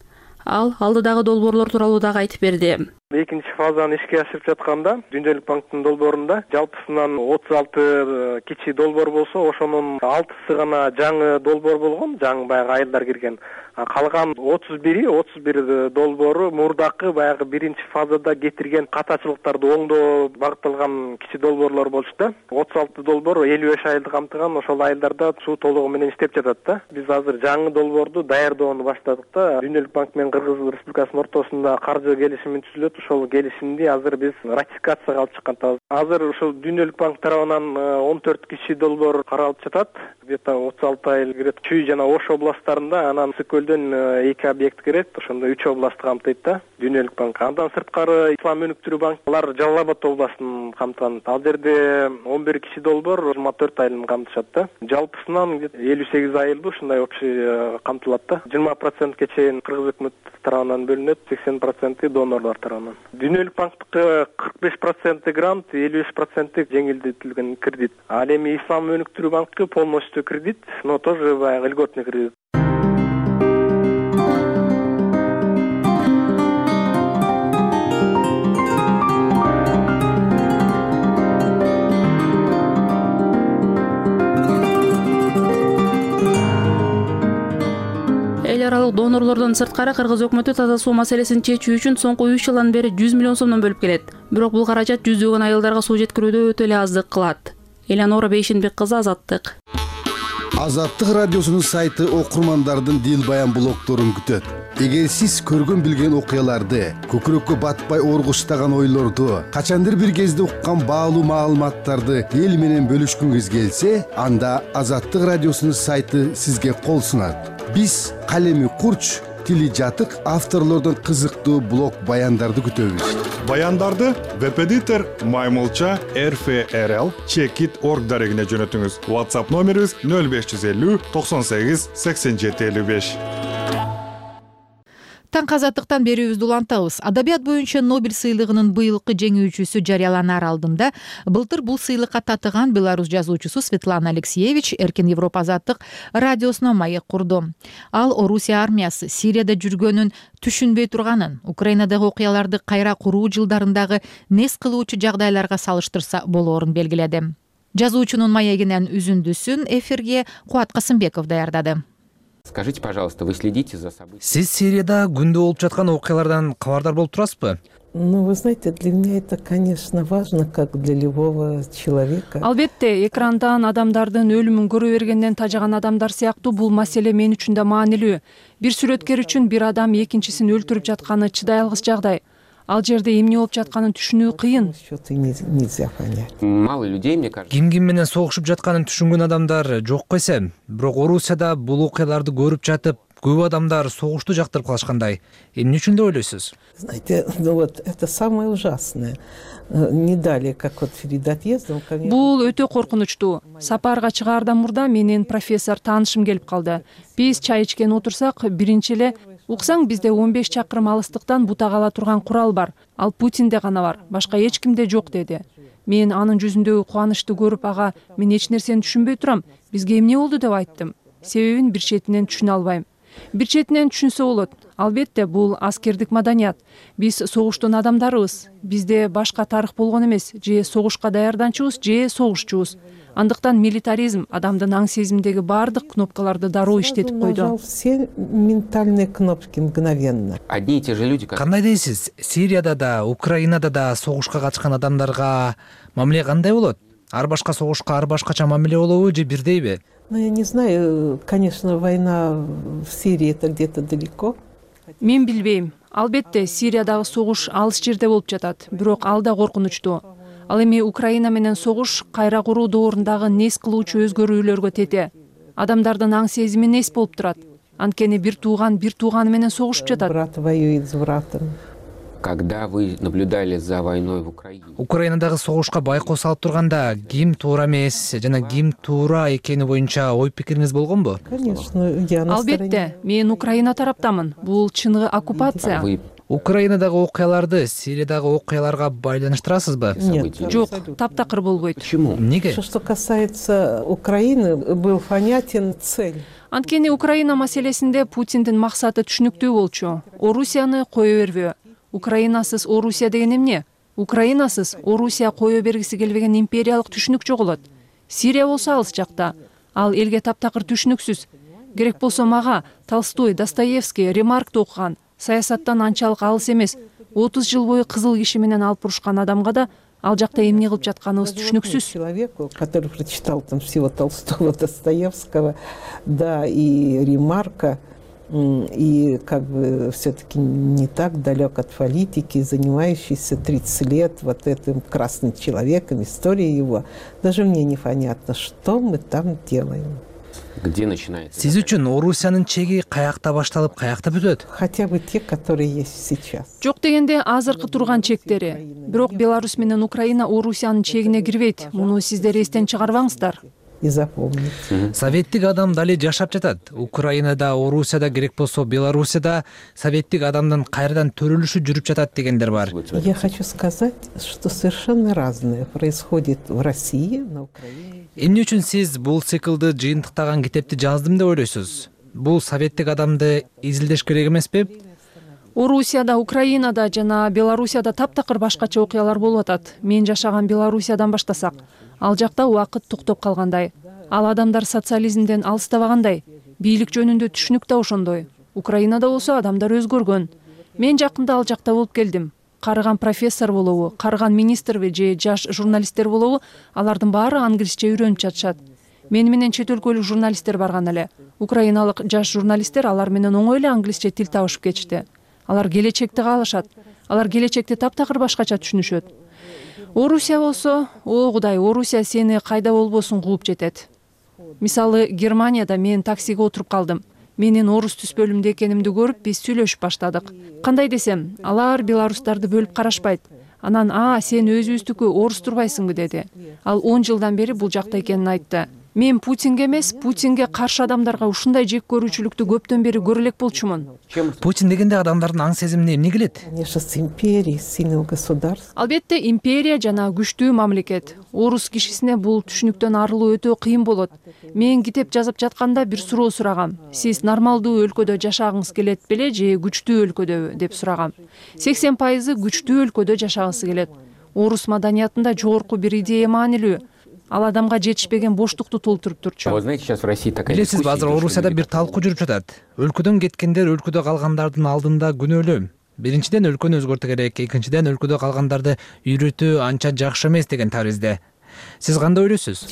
Ал алдыдагы долбоорлор тууралуу дагы айтып берди. Экинчи фазаны ишке ашырып жатканда Дүйнөлүк банктын долбоорунда жалпысынан отуз алты кичи долбоор болсо, ошонун алтысы гана жаңы долбоор болгон, жаңы баягы айылдар кирген. Калган отуз бири отуз бир долбоору мурдакы баягы биринчи фазада кетирген катачылыктарды оңдоо багытталган кичи долбоорлор болчу да. отуз алты долбоор элүү беш айылды камтыган, ошол айылдарда суу толугу менен иштеп жатат да. Биз азыр жаңы долбоорду даярдоону баштадык да. Дүйнөлүк банк менен Кыргыз Республикасынын ортосунда каржы келишими түзүлөт. Ошол келишимди азыр биз ратификацияга алып чыккан. Азыр ошол Дүйнөлүк банк тарабынан он төрт кичи долбоор каралып жатат. Где-то отуз алты айыл кирет. Чүй жана Ош областтарында, анан Ысыккөлдөн эки объект кирет. Ошондо үч областты камтыйт да Дүйнөлүк банк. Андан сырткары Ислам өнүктүрүү банк, алар Жалал Абад областын камтыган. Ал жерде он бир кичи долбоор жыйырма төрт айылын камтышат да. Жалпысынан элүү сегиз айылды ушундай общий камтылат да. жыйырма процентке чейин Кыргыз өкмөт тарабынан бөлүнөт, сексен проценти донорлор тарабынан. анын. Дүйнөлүк банктыкы кырк беш проценти грант, элүү беш проценти жеңилдетилген кредит. Ал эми Ислам өнүктүрүү банкы полностью кредит, но тоже баягы льготный кредит. Эл аралык донорлордон сырткары Кыргыз өкмөтү таза суу маселесин чечүү үчүн соңку үч жылдан бери жүз миллион сомдон бөлүп келет. Бирок бул каражат жүздөгөн айылдарга суу жеткирүүдө өтө эле аздык кылат. Эланора Бейшенбек кызы, Азаттык. Азаттык радиосунун сайты окурмандардын дил баян блогторун күтөт. Эгер сиз көргөн билген окуяларды, көкүрөккө батпай оргуштаган ойлорду, качандыр бир кезде уккан баалуу маалыматтарды эл менен бөлүшкүңүз келсе, анда Азаттык радиосунун сайты сизге кол сунат. Биз калеми курч, тили жатык авторлордон кызыктуу блог баяндарды күтөбүз. Баяндарды веб-эдитор Маймылча эр эф эр эл чекит точка орг дарегине жөнөтүңүз. WhatsApp номерибиз нөл беш жүз элүү токсон сегиз сексен жети элүү беш. Таңкы Азаттыктан берүүбүздү улантабыз. Адабият боюнча Нобель сыйлыгынын быйылкы жеңүүчүсү жарыяланаар алдында былтыр бул сыйлыкка татыган белорус жазуучусу Светлана Алексеевич Эркин Европа Азаттык радиосуна маек курду. Ал Орусия армиясы Сирияда жүргөнүн түшүнбөй турганын, Украинадагы окуяларды кайра куруу жылдарындагы нес кылуучу жагдайларга салыштырса болоорун белгиледи. Жазуучунун маегинен үзүндүсүн эфирге Куат Касымбеков даярдады. Скажите, пожалуйста, вы следите за событиями? Сиз Сирияда күндө болуп жаткан окуялардан кабардар болуп турасызбы? Ну, вы знаете, для меня это, конечно, важно, как для любого человека. Албетте, экрандан адамдардын өлүмүн көрө бергенден тажаган адамдар сыяктуу бул маселе мен үчүн да маанилүү. Бир сүрөткер үчүн бир адам экинчисин өлтүрүп жатканы чыдай алгыс жагдай. Ал жерде эмне болуп жатканын түшүнүү кыйын. Мало людей, мне кажется. Ким ким менен согушуп жатканын түшүнгөн адамдар жок койсем, бирок Орусияда бул окуяларды көрүп жатып, көп адамдар согушту жактырып калышкандай. Эмне үчүн деп ойлойсуз? Знаете, ну вот это самое ужасное. Не далее, как вот перед отъездом. Бул өтө коркунучтуу. Сапарга чыгаардан мурда менин профессор таанышым келип калды. Биз чай ичкен отурсак, биринчи эле уксаң бизде он беш чакырым алыстыктан бутак ала турган курал бар. Ал Путинде гана бар, башка эч кимде жок деди. Мен анын жүзүндөгү кубанычты көрүп, ага, мен эч нерсени түшүнбөй турам. Бизге эмне болду деп айттым. Себебин бир четинен түшүнө албайм. Бир четинен түшүнсө болот. Албетте, бул аскердик маданият. Биз согуштун адамдарыбыз. Бизде башка тарых болгон эмес. Же согушка даярданчубуз, же согушчубуз. Андыктан милитаризм адамдын аң сезиминдеги баардык кнопкаларды дароо иштетип койду. Нажал все ментальные кнопки мгновенно. Одни и те же люди. Кандай дейсиз? Сирияда да, Украинада да согушка катышкан адамдарга мамиле кандай болот? Ар башка согушка ар башкача мамиле болобу же бирдейби? Ну, я не знаю, конечно, война в Сирии это где-то далеко. Мен билбейм. Албетте, Сириядагы согуш алыс жерде болуп жатат, бирок ал да коркунучтуу. Ал эми Украина менен согуш кайра куруу доорундагы нес кылуучу өзгөрүүлөргө тете. Адамдардын аң сезими нес болуп турат. Анткени бир тууган бир тууганы менен согушуп жатат. Брат воюет с братом. Когда вы наблюдали за войной в Украине? Украинадагы согушка байкоо салып турганда ким туура эмес жана ким туура экени боюнча ой пикириңиз болгонбу? Конечно, я на стороне. Албетте, мен Украина тараптамын. Бул чыныгы оккупация. Украинадагы окуяларды Сириядагы окуяларга байланыштырасызбы? Нет, жок, таптакыр болбойт. Почему? Эмнеге? Что касается Украины, был понятен цель. Анткени Украина маселесинде Путиндин максаты түшүнүктүү болчу. Орусияны кое бербөө. Украинасыз Орусия деген эмне? Украинасыз Орусия кое бергиси келбеген империялык түшүнүк жоголот. Сирия болсо алыс жакта. Ал элге таптакыр түшүнүксүз. Керек болсо мага Толстой, Достоевский, Ремаркты окуган, саясаттан анчалык алыс эмес, отуз жыл бою кызыл киши менен алып урушкан адамга да ал жакта эмне кылып жатканыбыз түшүнүксүз. Человеку, который прочитал там всего Толстого, Достоевского, да, и Ремарка, и как бы все-таки не так далек от политики, занимающийся тридцать лет вот этим красным человеком, историей его. Даже мне непонятно, что мы там делаем. Где начинается? Сиз үчүн Орусиянын чеги каякта башталып, каякта бүтөт? Хотя бы те, которые есть сейчас. Жок дегенде азыркы турган чектери. Бирок Беларусь менен Украина Орусиянын чегине кирбейт. Муну сиздер эстен чыгарбаңыздар. и запомнить. Советтик адам дали жашап жатат. Украинада, Орусияда, керек болсо Белоруссияда советтик адамдын кайрадан төрөлүшү жүрүп жатат дегендер бар. Я хочу сказать, что совершенно разное происходит в России, на Украине. Эмне үчүн сиз бул циклды жыйынтыктаган китепти жаздым деп ойлойсуз? Бул советтик адамды изилдеш керек эмеспи? Орусияда, Украинада жана Белоруссияда таптакыр башкача окуялар болуп атат. Мен жашаган Белоруссиядан баштасак, ал жакта убакыт токтоп калгандай. Ал адамдар социализмден алыстабагандай. Бийлик жөнүндө түшүнүк да ошондой. Украинада болсо адамдар өзгөргөн. Мен жакында ал жакта болуп келдим. Карыган профессор болобу, карыган министрби же жаш журналисттер болобу, алардын баары англисче үйрөнүп жатышат. Мени менен чет өлкөлүк журналисттер барган эле. Украиналык жаш журналисттер алар менен оңой эле англисче тил табышып кетишти. Алар келечекти каалашат. Алар келечекти таптакыр башкача түшүнүшөт. Орусия болсо, о Кудай, Орусия сени кайда болбосун кууп жетет. Мисалы, Германияда мен таксиге отуруп калдым. Менин орус түспөлүмдө экенимди көрүп, биз сүйлөшүп баштадык. Кандай десем, алар белорустарды бөлүп карашпайт. Анан, а, сен өзүбүздүкү орус турбайсыңбы деди. Ал он жылдан бери бул жакта экенин айтты. Мен Путинге эмес, Путинге каршы адамдарга ушундай жек көрүүчүлүктү көптөн бери көрө элек болчумун. Путин дегенде адамдардын аң сезимине эмне келет? Конечно, с империей, сильного государства. Албетте, империя жана күчтүү мамлекет. Орус кишисине бул түшүнүктөн арылуу өтө кыйын болот. Мен китеп жазып жатканда бир суроо сурагам. Сиз нормалдуу өлкөдө жашагыңыз келет беле же күчтүү өлкөдөбү деп сурагам. сексен пайызы күчтүү өлкөдө жашагысы келет. Орус маданиятында жогорку бир идея маанилүү. Ал адамга жетишпеген боштукту толтуруп турчу. Билесизби, азыр Орусияда бир талкуу жүрүп жатат. Өлкөдөн кеткендер өлкөдө калгандардын алдында күнөөлүү. Биринчиден өлкөнү өзгөртүү керек, экинчиден өлкөдө калгандарды үйрөтүү анча жакшы эмес деген таризде. Сиз кандай ойлойсуз?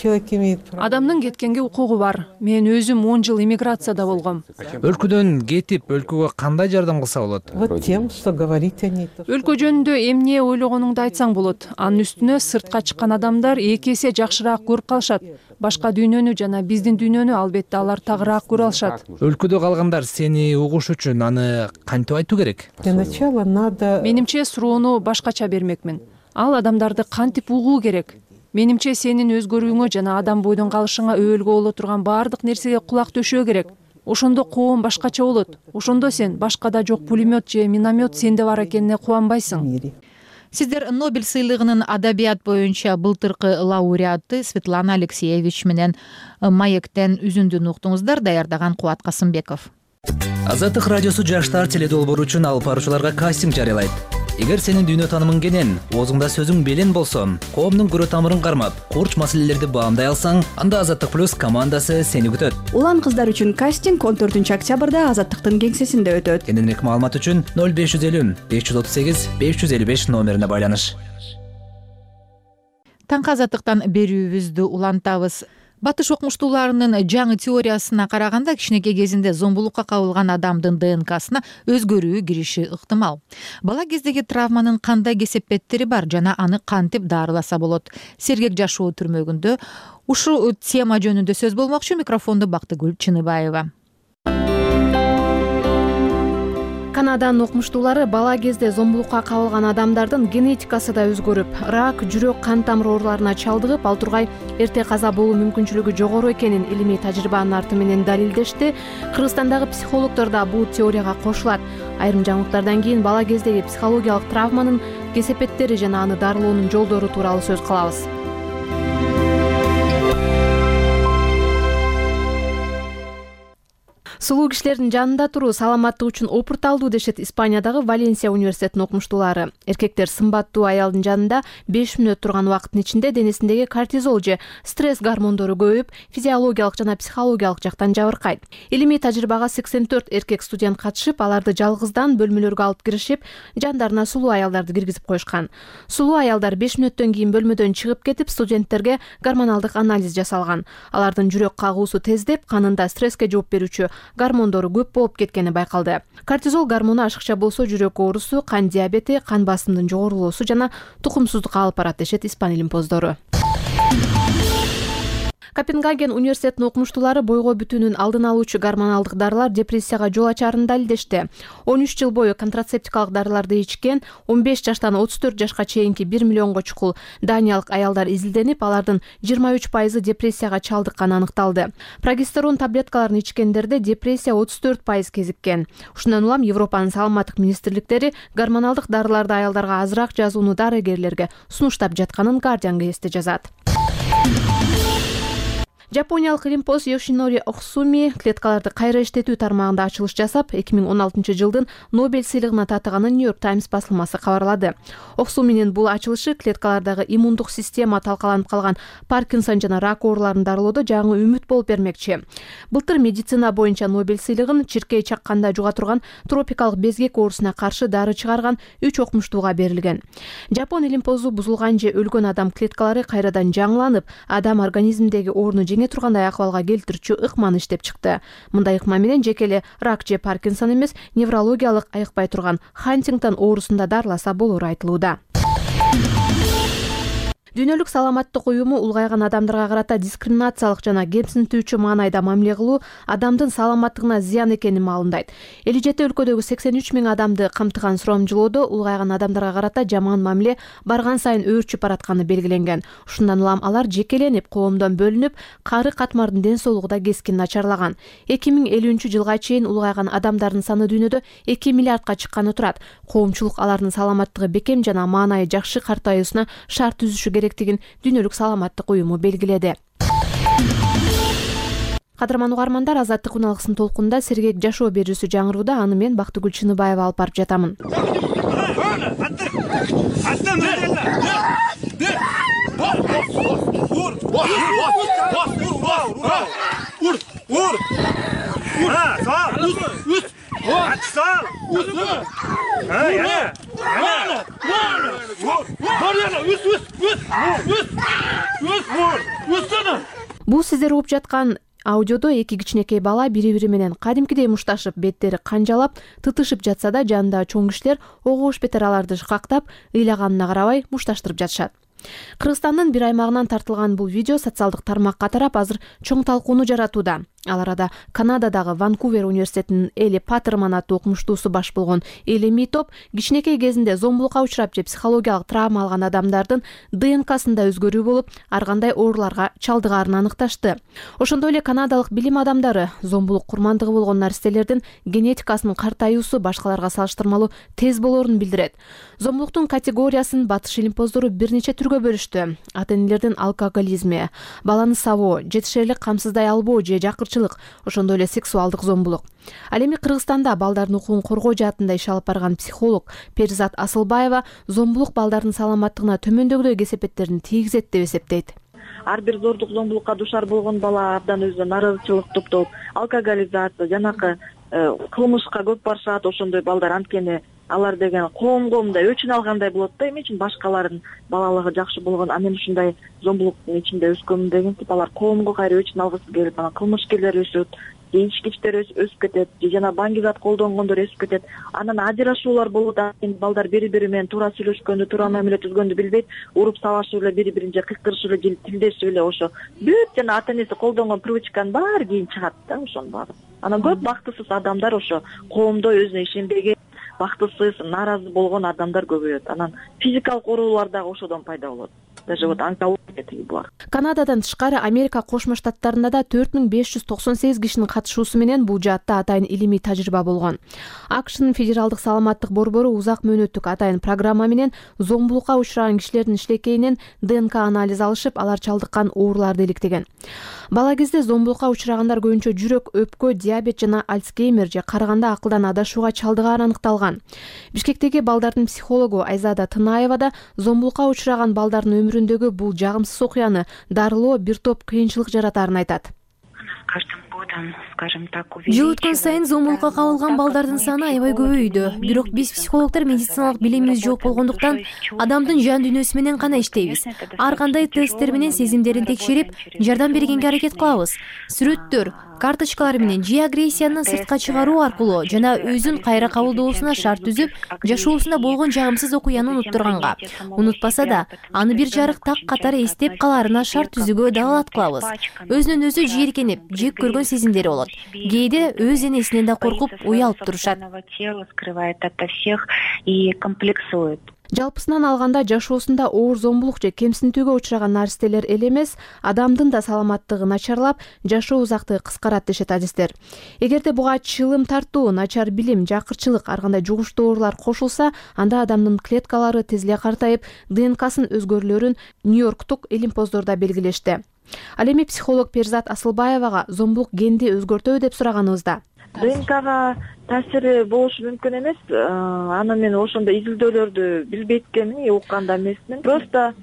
Адамдын кеткенге укугу бар. Мен өзүм он жыл эмиграцияда болгом. Өлкөдөн кетип, өлкөгө кандай жардам кылса болот? Вот тем, что говорить они. Өлкө жөнүндө эмне ойлогонуңду айтсаң болот. Анын үстүнө сыртка чыккан адамдар эки эсе жакшыраак көрүп калышат. Башка дүйнөнү жана биздин дүйнөнү албетте алар тагыраак көрө алышат. Өлкөдө калгандар сени угуш үчүн аны кантип айтуу керек? Для начала надо. Менимче суроону башкача бермекмин. Ал адамдарды кантип угуу керек? Менимче сенин өзгөрүүңө жана адам бойдон калышыңа өбөлгө боло турган баардык нерсеге кулак төшөө керек. Ошондо коом башкача болот. Ошондо сен башкада жок пулемет же миномет сенде бар экенине кубанбайсың. Сиздер Нобель сыйлыгынын адабият боюнча былтыркы лауреаты Светлана Алексеевич менен Маектен үзүндүн уктуңуздар. Даярдаган Кубат Касымбеков. Азаттык радиосу жаштар теледолбоору үчүн алып баруучуларга кастинг жарыялайт. Эгер сенин дүйнө таанымың кенен, оозуңда сөзүң белен болсо, коомдун көрө тамырын кармап, курч маселелерди баамдай алсаң, анда Азаттык плюс командасы сени күтөт. Улан кыздар үчүн кастинг он төртүнчү октябрда Азаттыктын кеңсесинде өтөт. Кененирээк маалымат үчүн ноль беш жүз элүү беш жүз отуз сегиз беш жүз элүү беш номерине байланыш. Таңкы Азаттыктан берүүбүздү улантабыз. Батыш окумуштууларынын жаңы теориясына караганда, кичинекей кезинде зомбулукка кабылган адамдын ДНКсына өзгөрүү кириши ыктымал. Бала кездеги травманын кандай кесепеттери бар жана аны кантип даарыласа болот? Сергек жашоо түрмөгүндө ушул тема жөнүндө сөз болмокчу. Микрофонду Бактыгүл Чыныбаева. Канаданын окумуштуулары бала кезде зомбулукка кабылган адамдардын генетикасы да өзгөрүп, рак, жүрөк, кан тамыр ооруларына чалдыгып, ал тургай эрте каза болуу мүмкүнчүлүгү жогору экенин илимий тажрыйбанын арты менен далилдешти. Кыргызстандагы психологдор да бул теорияга кошулат. Айрым жаңылыктардан кийин бала кездеги психологиялык травманын кесепеттери жана аны дарылоонун жолдору тууралуу сөз кылабыз. Сулуу кишилердин жанында туруу саламаттык үчүн опурталдуу дешет Испаниядагы Валенсия университетинин окумуштуулары. Эркектер сымбаттуу аялдын жанында беш мүнөт турган убакыттын ичинде денесиндеги кортизол же стресс гормондору көбөйүп, физиологиялык жана психологиялык жактан жабыркайт. Илимий тажрыйбага сексен төрт эркек студент катышып, аларды жалгыздан бөлмөлөргө алып киришип, жандарына сулуу аялдарды киргизип коюшкан. Сулуу аялдар беш мүнөттөн кийин бөлмөдөн чыгып кетип, студенттерге гормоналдык анализ жасалган. Алардын жүрөк кагуусу тездеп, канында стресске жооп берүүчү гормондору көп болуп кеткени байкалды. Кортизол гормону ашыкча болсо жүрөк оорусу, кан диабети, кан басымдын жогорулоосу жана тукумсуздукка алып барат дешет Испан илимпоздору. Копенгаген университетинин окумуштуулары бойго бүтүүнүн алдын алуучу гормоналдык дарылар депрессияга жол ачарын далилдешти. он үч жыл бою контрацептикалык дарыларды ичкен он беш жаштан отуз төрт жашка чейинки бир миллионго чукул даниялык аялдар изилденип, алардын жыйырма үч пайызы депрессияга чалдыкканы аныкталды. Прогестерон таблеткаларын ичкендерде депрессия отуз төрт пайыз кезиккен. Ушундан улам Европанын саламаттык министрликтери гормоналдык дарыларды аялдарга азыраак жазууну дарыгерлерге сунуштап жатканын Guardian гезити жазат. Жапониялык Илимпоз Йошинори Оксуми клеткаларды кайра иштетүү тармагында ачылыш жасап, эки миң он алтынчы жылдын Нобель сыйлыгына татыганын Нью-Йорк Таймс басылмасы кабарлады. Оксуминин бул ачылышы клеткалардагы иммундук система талкаланып калган Паркинсон жана рак ооруларын дарылоодо жаңы үмүт болуп бермекчи. Былтыр медицина боюнча Нобель сыйлыгын чиркей чакканда жуга турган тропикалык безгек оорусуна каршы дары чыгарган үч окумуштууга берилген. Жапон Илимпозу бузулган же өлгөн адам клеткалары кайрадан жаңыланып, адам организминдеги орну тургандай акыбалга келтирүүчү ыкманы иштеп чыкты. Мындай ыкма менен жеке эле рак же Паркинсон эмес, неврологиялык айыкпай турган Хантингтон оорусунда дарыласа болору айтылууда. Дүйнөлүк саламаттык уюму улгайган адамдарга карата дискриминациялык жана кемсинтүүчү маанайда мамиле кылуу адамдын саламаттыгына зыян экенин маалымдайт. элүү жети өлкөдөгү сексен үч миң адамды камтыган сурамжылоодо улгайган адамдарга карата жаман мамиле барган сайын өөрчүп баратканы белгиленген. Ушундан улам алар жекеленип, коомдон бөлүнүп, кары катмардын ден соолугу да кескин начарлаган. эки миң элүүнчү жылга чейин улгайган адамдардын саны дүйнөдө эки миллиардка чыкканы турат. Коомчулук алардын саламаттыгы бекем жана маанайы жакшы картаюусуна шарт түзүшү керектигин Дүйнөлүк саламаттык уюму белгиледи. Кадырман угармандар, Азаттык уналгысынын толкунунда сергек жашоо берүүсү жаңырууда, аны мен Бактыгүл Чыныбаева алып барып жатамын. Бул сиздер угуп жаткан аудиодо эки кичинекей бала бири-бири менен кадимкидей мушташып, беттери канжалап, тытышып жатса да, жанындагы чоң кишилер огош бетер аларды кактап, ыйлаганына карабай мушташтырып жатышат. Кыргызстандын бир аймагынан тартылган бул видео социалдык тармакка тарап азыр чоң талкууну жаратууда. Ал арада Канададагы Ванкувер университетинин Эли Паттерман аттуу окумуштуусу баш болгон Элеми топ кичинекей кезинде зомбулукка учурап же психологиялык травма алган адамдардын ДНКсында өзгөрүү болуп, ар кандай ооруларга чалдыгаарын аныкташты. Ошондой эле канадалык билим адамдары зомбулук курмандыгы болгон наристелердин генетикасынын картаюусу башкаларга салыштырмалуу тез болоорун билдирет. Зомбулуктун категориясын Батыш илимпоздору бир нече түргө бөлүштү. Ата-энелердин алкоголизми, баланы сабоо, жетишерлик камсыздай албоо же жакырчылык, ошондой эле сексуалдык зомбулук. Ал эми Кыргызстанда балдардын укугун коргоо жаатында иш алып барган психолог Перизат Асылбаева зомбулук балдардын саламаттыгына төмөндөгүдөй кесепеттерин тийгизет деп эсептейт. Ар бир зордук зомбулукка душар болгон бала абдан өзүнө нааразычылык топтоп, алкоголизация, жанакы кылмышка көп барышат. Ошондой балдар анткени алар деген коомго мындай өчүн алгандай болот да, эми үчүн башкалардын балалыгы жакшы болгон, а мен ушундай зомбулуктун ичинде өскөмүн дегентип алар коомго кайра өчүн алгысы келип, анан кылмышкерлер өсөт, ичкичтер өсүп кетет, же жана баңгизат колдонгондор өсүп кетет. Анан ажырашуулар болот, балдар бири-бири менен туура сүйлөшкөндү, туура мамиле түзгөндү билбейт, уруп салашып эле, бири-бирин же кыйкырышып эле, тилдешип эле, ошо бүт жана ата-энеси колдонгон привычканын баары кийин чыгат да, ошонун баары. Анан көп бактысыз адамдар ошо коомдо өзүнө ишенбеген, бактысыз, нааразы болгон адамдар көбөйөт. Анан физикалык оорулар дагы ошодон пайда болот. Даже вот онкология тиги булар. Канададан тышкары Америка Кошмо Штаттарында да төрт миң беш жүз токсон сегиз кишинин катышуусу менен бул жаатта атайын илимий тажрыйба болгон. АКШнын федералдык саламаттык борбору узак мөөнөттүк атайын программа менен зомбулукка учураган кишилердин ишлекейинен ДНК анализ алышып, алар чалдыккан ооруларды иликтеген. Бала кезде зомбулукка учурагандар көбүнчө жүрөк, өпкө, диабет жана Альцгеймер же карыганда акылдан адашууга чалдыгаары аныкталган. Бишкектеги балдардын психологу Айзада Тынаева да зомбулукка учураган балдардын өмүрүндөгү бул жагымсыз окуяны дарылоо бир топ кыйынчылык жаратаарын айтат. Жыл өткөн сайын зомбулукка кабылган балдардын саны аябай көбөйдү. Бирок биз психологдор медициналык билимибиз жок болгондуктан адамдын жан дүйнөсү менен гана иштейбиз. Ар кандай тесттер менен сезимдерин текшерип, жардам бергенге аракет кылабыз. Сүрөттөр, карточкалар менен же агрессияны сыртка чыгаруу аркылуу жана өзүн кайра кабылдоосуна шарт түзүп, жашоосунда болгон жагымсыз окуяны унуттурганга, унутпаса да аны бир жарык так катары эстеп калаарына шарт түзүүгө далалат кылабыз. Өзүнөн өзү жийиркенип, жек көргөн сезимдери болот. Кээде өз энесинен да коркуп, уялып турушат. Жалпысынан алганда жашоосунда оор зомбулук же кемсинтүүгө учураган наристелер эле эмес, адамдын да саламаттыгы начарлап, жашоо узактыгы кыскарат дешет адистер. Эгерде буга чылым тартуу, начар билим, жакырчылык, ар кандай жугуштуу оорулар кошулса, анда адамдын клеткалары тез эле картайып, ДНКсын өзгөрүүлөрүн Нью-Йорктук илимпоздордо белгилешти. Ал эми психолог Перзат Асылбаевага зомбулук генди өзгөртөбү деп сураганыбызда. ДНКга таасири болушу мүмкүн эмес. Аны мен ошондой изилдөөлөрдү билбейт экенмин, уккан да эмесмин. Просто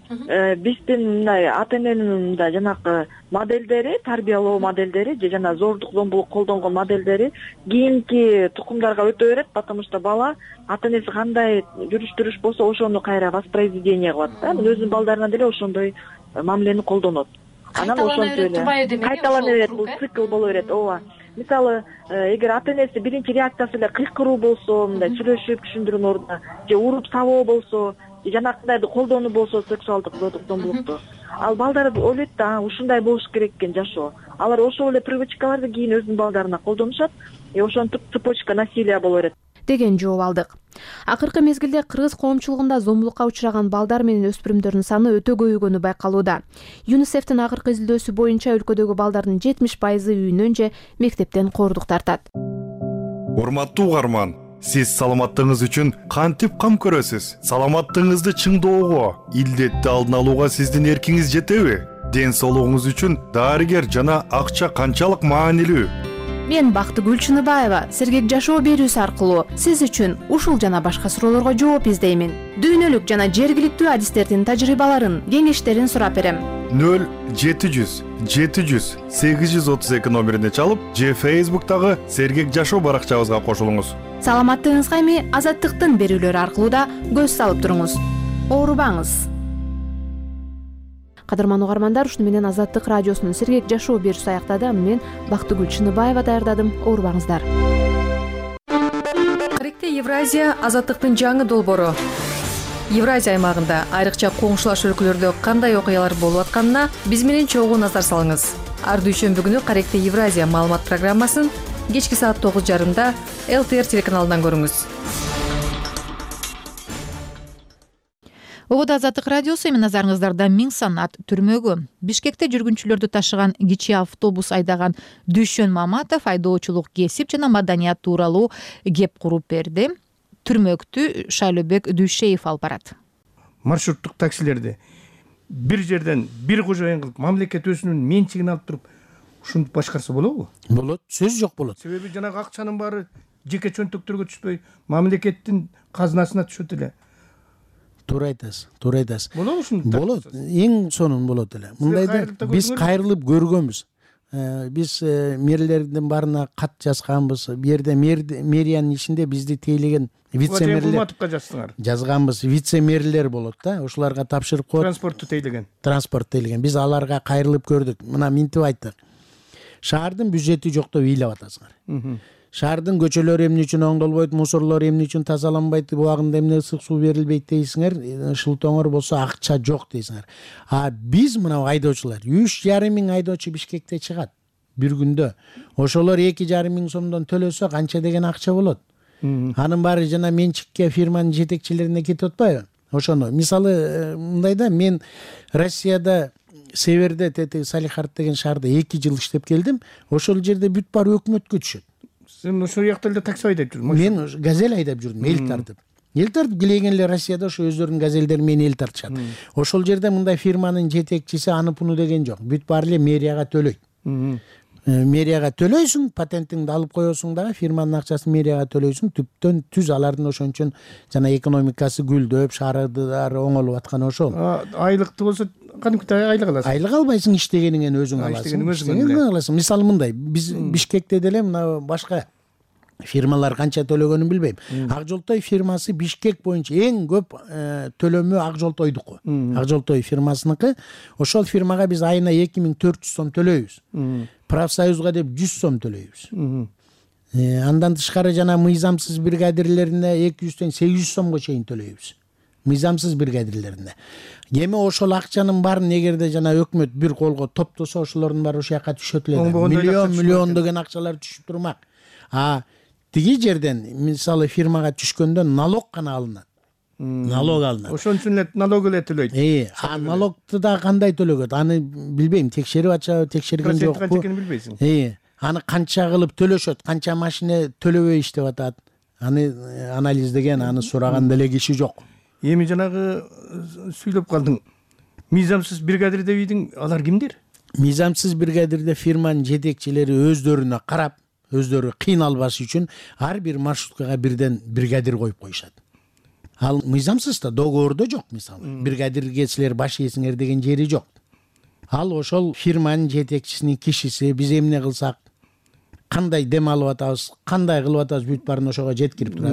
биздин мындай ата эненин мындай жанакы моделдери, тарбиялоо моделдери же жана зордук, зомбулук колдонгон моделдери кийинки тукумдарга өтө берет, потому что бала ата энеси кандай жүрүш-туруш болсо, ошону кайра воспроизведение кылат да. Өзүнүн балдарына деле ошондой мамилени колдонот. Анан ошентип эле кайталана берет, бул цикл боло берет. ооба. Мисалы, эгер ата энеси биринчи реакциясы эле кыйкыруу болсо, мындай сүйлөшүп түшүндүрүүнүн ордуна, же уруп сабоо болсо, же жанакындайды колдонуу болсо, сексуалдык зомбулукту, ал балдар ойлойт да, ушундай болуш керек экен жашоо. Алар ошол эле привычкаларды кийин өзүнүн балдарына колдонушат, и ошентип цепочка насилия боло берет деген жооп алдык. Акыркы мезгилде кыргыз коомчулугунда зомбулукка учураган балдар менен өспүрүмдөрдүн саны өтө көбөйгөнү байкалууда. ЮНИСЕФтин акыркы изилдөөсү боюнча өлкөдөгү балдардын жетимиш пайызы үйүнөн же мектептен коордук тартат. Урматтуу угарман, сиз саламаттыгыңыз үчүн кантип кам көрөсүз? Саламаттыгыңызды чыңдоого, илдетти алдын алууга сиздин эркиңиз жетеби? Ден соолугуңуз үчүн дарыгер жана акча канчалык маанилүү? Мен Бактыгүл Чыныбаева сергек жашоо берүүсү аркылуу сиз үчүн ушул жана башка суроолорго жооп издеймин. Дүйнөлүк жана жергиликтүү адистердин тажрыйбаларын, кеңештерин сурап берем. нөл жети жүз жети жүз сегиз жүз отуз эки номерине чалып, же Facebook'тагы сергек жашоо баракчабызга кошулуңуз. Саламаттыгыңызга эми Азаттыктын берүүлөрү аркылуу да көз салып туруңуз. Оорубаңыз. Кадырман угармандар, ушуну менен Азаттык радиосунун сергек жашоо берүүсү аяктады. Аны мен Бактыгүл Чыныбаева даярдадым. Оорубаңыздар. Каректе Евразия Азаттыктын жаңы долбоору. Евразия аймагында айрыкча коңшулаш өлкөлөрдө кандай окуялар болуп атканына биз менен чогуу назар салыңыз. Ар дүйшөмбү күнү Каректе Евразия маалымат программасын кечки саат тогуз жарымда эл тэ эр телеканалынан көрүңүз. Ободо Азаттык радиосу, эми назарыңыздарда миң санат түрмөгү. Бишкекте жүргүнчүлөрдү ташыган кичи автобус айдаган Дүйшөн Маматов айдоочулук кесип жана маданият тууралуу кеп куруп берди. Түрмөктү Шайлообек Дүйшеев алып барат. Маршруттук таксилерди бир жерден бир кожоюн кылып, мамлекет өзүнүн менчигине алып туруп, ушинтип башкарса болобу? Болот, сөз жок болот. Себеби жанагы акчанын баары жеке чөнтөктөргө түшпөй, мамлекеттин казынасына түшөт эле. Туура айтасыз, туура айтасыз. Болобу ушинтип? Болот, эң сонун болот эле. Мындайда биз кайрылып көргөнбүз. Биз мэрлердин баарына кат жазганбыз. Бу жерде мэриянын ичинде бизди тейлеген вице-мэрлер жазганбыз. Вице-мэрлер болот да, ошолорго тапшырып коет. Транспортту тейлеген. Транспорт тейлеген. Биз аларга кайрылып көрдүк. Мына минтип айттык. Шаардын бюджети жок деп ыйлап атасыңар. Шаардын көчөлөрү эмне үчүн оңдолбойт, мусорлор эмне үчүн тазаланбайт, убагында эмне ысык суу берилбейт дейсиңер, шылтоңор болсо акча жок дейсиңер. А биз мына айдоочулар үч жарым миң айдоочу Бишкекте чыгат бир күндө. Ошолор эки жарым миң сомдон төлөсө канча деген акча болот? Анын баары жана менчикке, фирманын жетекчилерине кетип атпайбы? Ошону мисалы мындайда мен Россияда Северде тети Салихард деген шаарда эки жыл иштеп келдим. Ошол жерде бүт баары өкмөткө түшөт. Сен ошол жакта эле такси айдап жүрдүң? Мен газель айдап жүрдүм, эл тартып. Эл тартып келген эле Россияда ошо өздөрүнүн газелдери менен эл тартышат. Ошол жерде мындай фирманын жетекчиси аны пуну деген жок. Бүт баары эле мэрияга төлөйт. Мэрияга төлөйсүң, патентиңди алып коесуң дагы, фирманын акчасын мэрияга төлөйсүң, түптөн түз алардын ошон үчүн жана экономикасы гүлдөп, шаардары оңолуп атканы ошол. Айлыкты болсо кантип айлык аласың? Айлык албайсың, иштегениңен өзүң аласың. Иштегениңен аласың. Мисалы мындай, биз Бишкекте деле мына башка фирмалар канча төлөгөнүн билбейм. Ак Жолтой фирмасы Бишкек боюнча эң көп төлөмү Ак Жолтойдуку. Ак Жолтой фирмасыныкы. Ошол фирмага биз айына эки миң төрт жүз сом төлөйбүз. профсоюзга деп жүз сом төлөйбүз. Андан тышкары жана мыйзамсыз бригадирлерине эки жүздөн сегиз жүз сомго чейин төлөйбүз. Мыйзамсыз бригадирлерине. Эми ошол акчанын баарын эгерде жана өкмөт бир колго топтосо, ошолордун баары ошол жака түшөт эле. Миллион миллион деген акчалар түшүп турмак. А тиги жерден мисалы фирмага түшкөндө налог гана алынат. Налог алынат. Ошон үчүн эле налог эле төлөйт. Э, а налогду да кандай төлөгөт? Аны билбейм, текшерип атышабы, текшерген жокпу? Процент канча экенин билбейсиң. Э, аны канча кылып төлөшөт, канча машина төлөбөй иштеп атат. Аны анализдеген, аны сураган деле киши жок. Эми жанагы сүйлөп калдың. Мыйзамсыз бригадир дебийдиң, алар кимдер? Мыйзамсыз бригадирде фирманын жетекчилери өздөрүнө карап, өздөрү кыйналбаш үчүн ар бир маршруткага бирден бригадир коюп коюшат. Ал мыйзамсыз да договордо жок, мисалы. Бригадирге силер баш ийсиңер деген жери жок. Ал ошол фирманын жетекчисинин кишиси, биз эмне кылсак, кандай дем алып атабыз, кандай кылып атабыз, бүт баарын ошого жеткирип турат.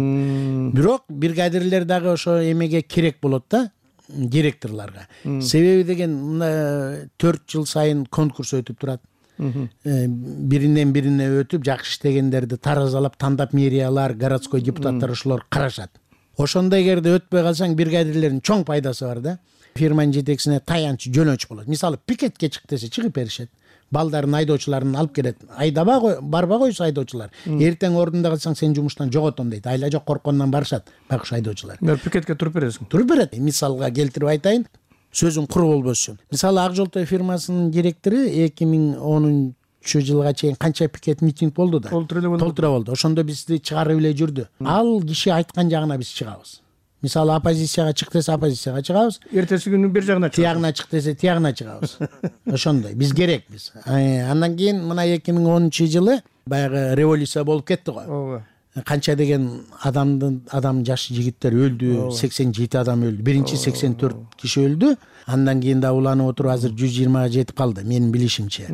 Бирок бригадирлер дагы ошо эмеге керек болот да, директорлорго. Себеби деген мына төрт жыл сайын конкурс өтүп турат. Биринен бирине өтүп, жакшы иштегендерди таразалап, тандап мэриялар, городской депутаттар ошолор карашат. Ошондой эгерде өтпөй калсаң, бригадирлердин чоң пайдасы бар да. Фирманын жетекчисине таянч, жөнөч болот. Мисалы, пикетке чык десе, чыгып беришет. Балдарын, айдоочуларын алып келет. Айдаба кой, барба койсо айдоочулар. Эртең ордунда калсаң сен жумуштан жоготом дейт. Айла жок, корккондон барышат байкуш айдоочулар. Пикетке туруп бересиң. Туруп берет. Мисалга келтирип айтайын, сөзүм кур болбош үчүн. Мисалы, Ак Жолтой фирмасынын директору эки миң онунчу жылга чейин канча пикет митинг болду да? Толтура болду. Ошондо бизди чыгарып эле жүрдү. Ал киши айткан жагына биз чыгабыз. Мисалы, оппозицияга чык десе, оппозицияга чыгабыз. Эртеси күнү бир жагына чыгабыз. Тиягына чык десе, тиягына чыгабыз. Ошондой. Биз керекпиз. Андан кийин мына эки миң онунчу жылы баягы революция болуп кетти го. Ооба. Канча деген адамдын адам жаш жигиттер өлдү, сексен жети адам өлдү. Биринчи сексен төрт киши өлдү. Андан кийин да уланып отуруп азыр жүз жыйырмага жетип калды, менин билишимче.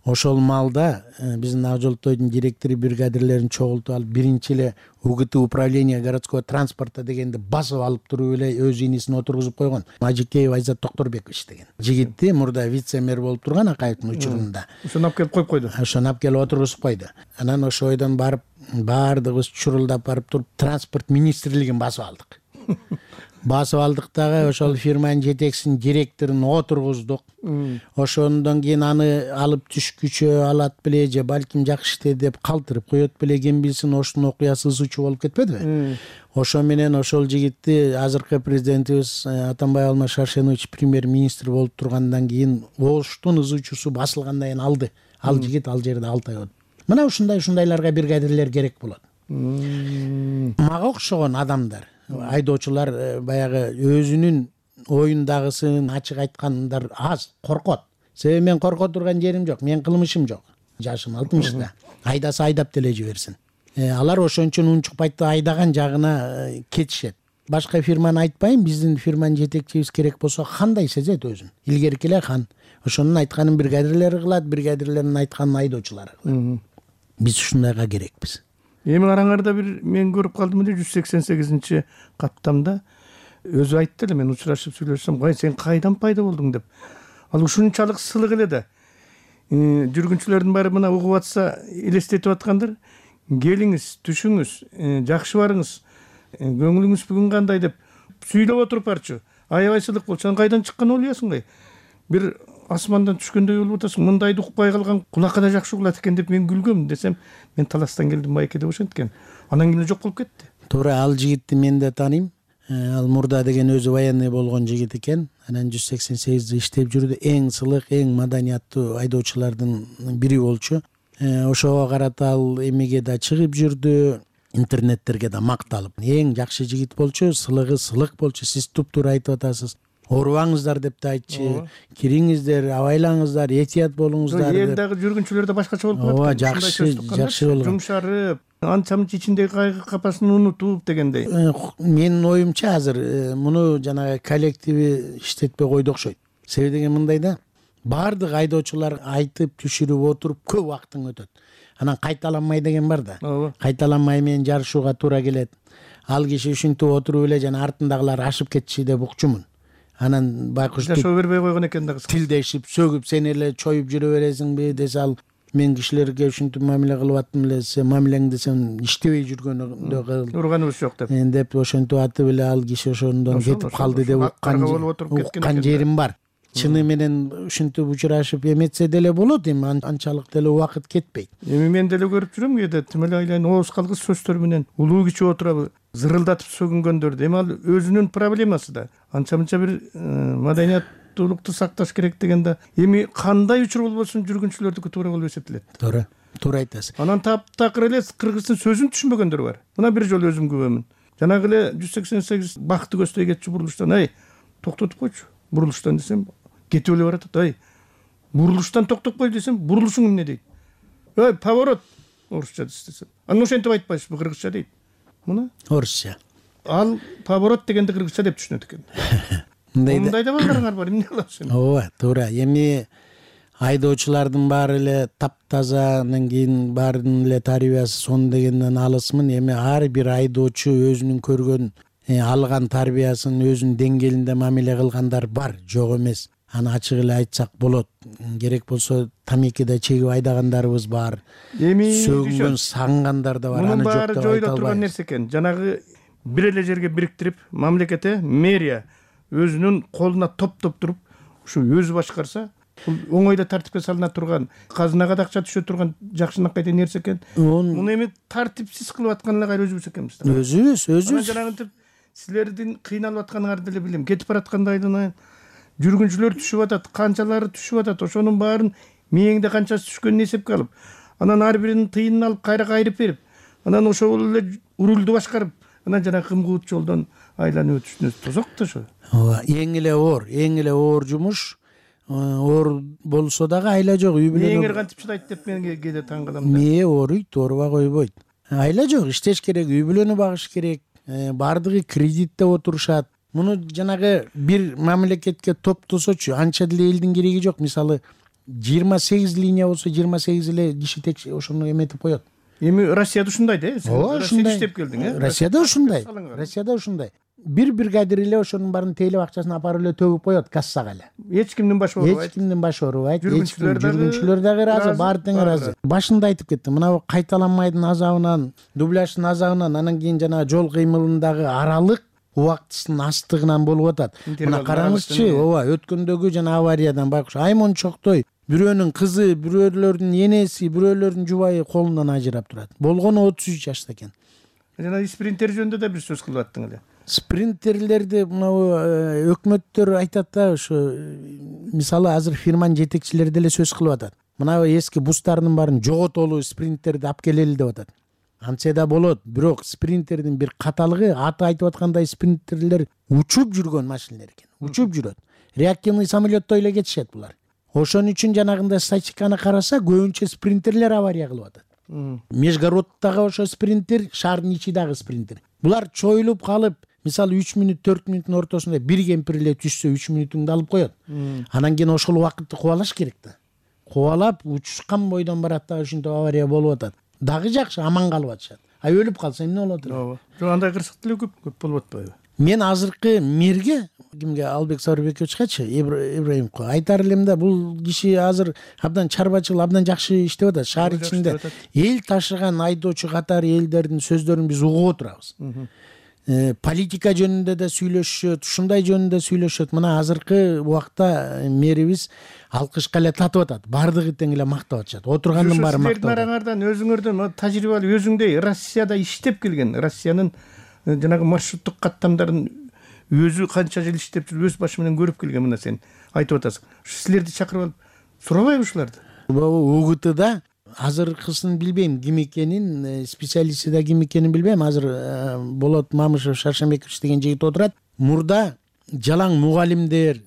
Ошол маалда биздин Ак Жолтойдун директору бригадирлерин чогултуп алып, биринчи эле УГТ управление городского транспорта дегенди басып алып туруп эле өз инисин отургузуп койгон. Мажикеев Айзат Токторбекович деген жигитти мурда вице-мэр болуп турган Акаевдин учурунда. Ошону алып келип коюп койду. Ошону алып келип отургузуп койду. Анан ошол ойдон барып, баардыгыбыз чурулдап барып туруп, транспорт министрлигин басып алдык. Басып алдык дагы, ошол фирманын жетекчисинин директорун отургуздук. Ошондон кийин аны алып түшкүчө алат беле же балким жакшы иштеди деп калтырып коет беле, ким билсин, ошонун окуясы ызычуу болуп кетпедиби? Ошо менен ошол жигитти азыркы президентибиз Атамбай Алмаз Шаршенович премьер-министр болуп тургандан кийин оштун ызычуусу басылгандан кийин алды. Ал жигит ал жерде алты ай болду. Мына ушундай ушундайларга бригадирлер керек болот. Мага окшогон адамдар, айдоочулар баягы өзүнүн оюндагысын ачык айткандар аз, коркот. Себеби мен корко турган жерим жок, менин кылмышым жок. Жашым алтымышта. Айдаса айдап деле жиберсин. Алар ошон үчүн унчукпайт да айдаган жагына кетишет. Башка фирманы айтпайм, биздин фирманын жетекчибиз керек болсо кандай сезет өзүн. Илгерки эле хан. Ошонун айтканын бригадирлер кылат, бригадирлердин айтканын айдоочулар кылат. Биз ушундайга керекпиз. Эми караңарда бир мен көрүп калдым эле жүз сексен сегизинчи каттамда өзү айтты эле, мен учурашып сүйлөшсөм, "Кай сен кайдан пайда болдуң?" деп. Ал ушунчалык сылык эле да. Жүргүнчүлөрдүн баары мына угуп атса, элестетип аткандар. Келиңиз, түшүңүз, жакшы барыңыз, көңүлүңүз бүгүн кандай деп сүйлөп отуруп барчу. Аябай сылык болчу. Сен кайдан чыккан ойлойсуң? Бир асмандан түшкөндөй болуп атасың. Мындайды укпай калган кулакка да жакшы угулат экен деп мен күлгөм десем, мен таластан келдим байке деп ошенткен. Анан кийин жок болуп кетти. Туура, ал жигитти мен да тааныйм. Ал Мурда деген өзү военный болгон жигит экен. Анан жүз сексен сегизде иштеп жүрдү. Эң сылык, эң маданияттуу айдоочулардын бири болчу. Ошого карата ал эмеге да чыгып жүрдү, интернеттерге да макталып. Эң жакшы жигит болчу, сылыгы сылык болчу. Сиз туп-туура айтып атасыз. Оорубаңыздар деп да айтчы. Кириңиздер, абайлаңыздар, этият болуңуздар. Эл дагы жүргүнчүлөр да башкача болуп калат. Ооба, жакшы, жакшы болгон. Жумшарып, анча-мынча ичиндеги кайгы капасын унутуп дегендей. Менин оюмча азыр муну жанагы коллективи иштетпей койду окшойт. Себеби деген мындай да, баардык айдоочулар айтып, түшүрүп отуруп көп убактың өтөт. Анан кайталанмай деген бар да. Кайталанмай менен жарышууга туура келет. Ал киши ушинтип отуруп эле жана артындагылар ашып кетчи деп укчумун. Анан байкуш жашоо бербей койгон экен да кызы. Тилдешип, сөгүп, сен эле чоюп жүрө бересиңби десе, ал мен кишилерге ушинтип мамиле кылып аттым эле, сен мамилең десем иштебей жүргөнү кыл, урганыбыз жок деп деп ошентип атып эле ал киши ошондон кетип калды деп уккан жерим бар. Чыны менен ушинтип учурашып эметсе деле болот, эми анчалык деле убакыт кетпейт. Эми мен деле көрүп жүрөм кээде тим эле айланып ооз калгыс сөздөр менен улуу кичи отуруп зырылдатып сөгүнгөндөрдү. Эми ал өзүнүн проблемасы да. Анча мынча бир маданияттуулукту сакташ керек деген да. Эми кандай учур болбосун жүргүнчүлөрдүкү туура болуп эсептелет. Туура. Туура айтасыз. Анан таптакыр эле кыргыздын сөзүн түшүнбөгөндөр бар. Мына бир жолу өзүм күбөмүн. Жанагы эле жүз сексен сегиз бакты көздөй кетчү бурулуштан, ай токтотуп койчу бурулуштан десем кетип эле баратат. Ай бурулуштан токтоп кой десем бурулушуң эмне дейт. Ой поворот орусча десем. Аны ошентип айтпайсызбы кыргызча дейт. Мына орусча. Ал поворот дегенди кыргызча деп түшүнөт экен. Мындай да балдарыңар бар, эмне кыласыз эми? Ооба, туура. Эми айдоочулардын баары эле таптаза, анан кийин баарынын эле тарбиясы сон дегенден алысмын. Эми ар бир айдоочу өзүнүн көргөн, алган тарбиясын өзүнүн деңгээлинде мамиле кылгандар бар, жок эмес. Аны ачык эле айтсак болот. Керек болсо тамекиде чегип айдагандарыбыз бар. Эми сөгүнгөн, сагынгандар да бар. Аны жок деп айта албайбыз. Мунун баары жойула турган нерсе экен. Жанагы бир эле жерге бириктирип, мамлекете, мэрия өзүнүн колуна топтоп туруп, ушу өзү башкарса, бул оңой эле тартипке салына турган, казынага да акча түшө турган жакшынакай деген нерсе экен. Муну эми тартипсиз кылып аткан эле кайра өзүбүз экенбиз. Өзүбүз, өзүбүз. Жанагынтип силердин кыйналып атканыңарды деле билем. Кетип бараткандайдын жүргүнчүлөр түшүп атат, канчалары түшүп атат. Ошонун баарын мээңде канчасы түшкөнүн эсепке алып, анан ар биринин тыйынын алып кайра кайрып берип, анан ошол эле рулду башкарып, анан жана кымкуут жолдон айланып өтүшүнө тозок да ошо. Ооба, эң эле оор, эң эле оор жумуш. Оор болсо дагы айла жок, үй бүлө. Мээңер кантип чыдайт деп мен кээде таң калам да. Мээ ооруйт, оорубай койбойт. Айла жок, иштеш керек, үй бүлөнү багыш керек. Бардыгы кредитте отурушат. Муну жанагы бир мамлекетке топтосочу анча деле элдин кереги жок. Мисалы жыйырма сегиз линия болсо жыйырма сегиз эле киши тек ошону эметип коет. Эми Россияда ушундай да, э? Ооба, ушундай. Иштеп келдиң, э? Россияда ушундай. Россияда ушундай. Бир бригадир эле ошонун баарын тейлеп акчасын апарып эле төгүп коет кассага эле. Эч кимдин башы оорубайт. Эч кимдин башы оорубайт. Жүргүнчүлөр дагы ыраазы, баары тең ыраазы. Башында айтып кеттим, мына кайталанмайдын азабынан, дубляждын азабынан, анан кийин жана жол кыймылындагы аралык убактысынын астыгынан болуп атат. Мына караңызчы, ооба, өткөндөгү жана авариядан байкуш аймончоктой бирөөнүн кызы, бирөөлөрдүн энеси, бирөөлөрдүн жубайы колунан ажырап турат. Болгону отуз үч жашта экен. Жана спринтер жөнүндө да бир сөз кылып аттың эле. Спринтерлерди мына өкмөттөр айтат да, ошо мисалы азыр фирманын жетекчилери деле сөз кылып атат. Мына эски бустардын баарын жоготолу, спринтерди алып келели деп атат. Антсе да болот, бирок спринтердин бир каталыгы, аты айтып аткандай спринтерлер учуп жүргөн машиналар экен. Учуп жүрөт. Реактивный самолеттой эле кетишет булар. Ошон үчүн жанагындай статистиканы караса, көбүнчө спринтерлер авария кылып атат. Межгороддагы ошо спринтер, шаардын ичи дагы спринтер. Булар чоюлуп калып, мисалы үч мүнөт, төрт мүнөттүн ортосунда бир кемпир эле түшсө үч мүнөтүңдү алып коет. Анан кийин ошол убакытты кубалаш керек да. Кубалап, учушкан бойдон барат да, ушинтип авария болуп атат. Дагы жакшы, аман калып атышат. А өлүп калса эмне болот? Ооба. Жок, андай кырсык деле көп көп болуп атпайбы? Мен азыркы мэрге, кимге, Албек Сабырбековичкачы, Ибраимовго айтар элем да, бул киши азыр абдан чарбачыл, абдан жакшы иштеп атат. Шаар ичинде эл ташыган айдоочу катары элдердин сөздөрүн биз угуп отурабыз. Политика жөнүндө да сүйлөшүшөт, ушундай жөнүндө сүйлөшөт. Мына азыркы убакта мэрибиз алкышка эле татып атат. Бардыгы тең эле мактап атышат. Отургандын баары мактап. Силердин араңардан өзүңөрдөн тажрыйбалуу өзүңдөй Россияда иштеп келген, Россиянын жанагы маршруттук каттамдарын өзү канча жыл иштеп жүрүп, өз башы менен көрүп келген, мына сен айтып атасың. Силерди чакырып алып сурабайбы ушуларды? УГТда азыркысын билбейм, ким экенин, специалисти да ким экенин билбейм. Азыр Болот Мамышев Шаршембекович деген жигит отурат. Мурда жалаң мугалимдер,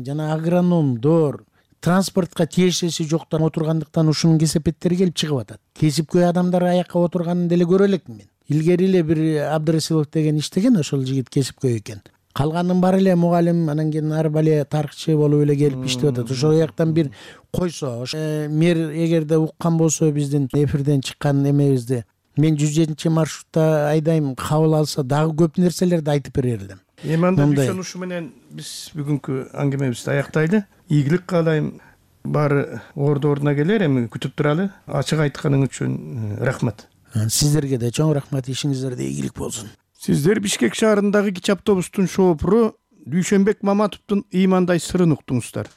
жана агрономдор, транспортко тиешеси жоктор отургандыктан ушунун кесепеттери келип чыгып атат. Кесипкөй адамдар аякка отурганын деле көрө элекмин мен. Илгери эле бир Абдрасилов деген иштеген, ошол жигит кесипкөй экен. Калганын баары эле мугалим, анан кийин ар бале тарыхчы болуп эле келип иштеп атат. Ошол жактан бир койсо, мэр эгерде уккан болсо биздин эфирден чыккан эмебизди, мен жүз жетинчи маршрутта айдайм, кабыл алса дагы көп нерселерди айтып берер элем. Эми анда ушуну менен биз бүгүнкү аңгемебизди аяктайлы. Ийгилик каалайм. баары орду ордуна келер, эми күтүп туралы. Ачык айтканың үчүн рахмат. Сиздерге да чоң рахмат, ишиңиздерде ийгилик болсун. Сиздер Бишкек шаарындагы кичи автобустун шоопуру Дүйшөнбек Маматовдун ыймандай сырын уктуңуздар.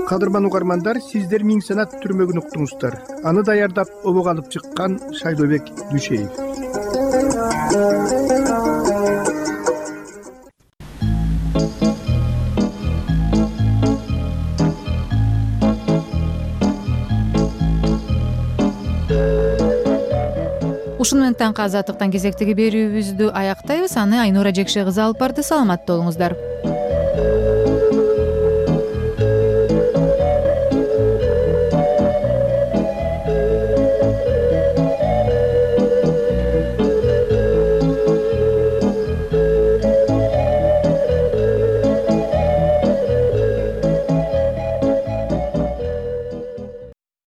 Кадырман угармандар, сиздер Миң Санат түрмөгүн уктуңуздар. Аны даярдап обого алып чыккан Шайлообек Дүйшеев. Ушуну менен таңкы азаттыктан кезектеги берүүбүздү аяктайбыз. Аны Айнура Жекше кызы алып барды. Саламатта болуңуздар.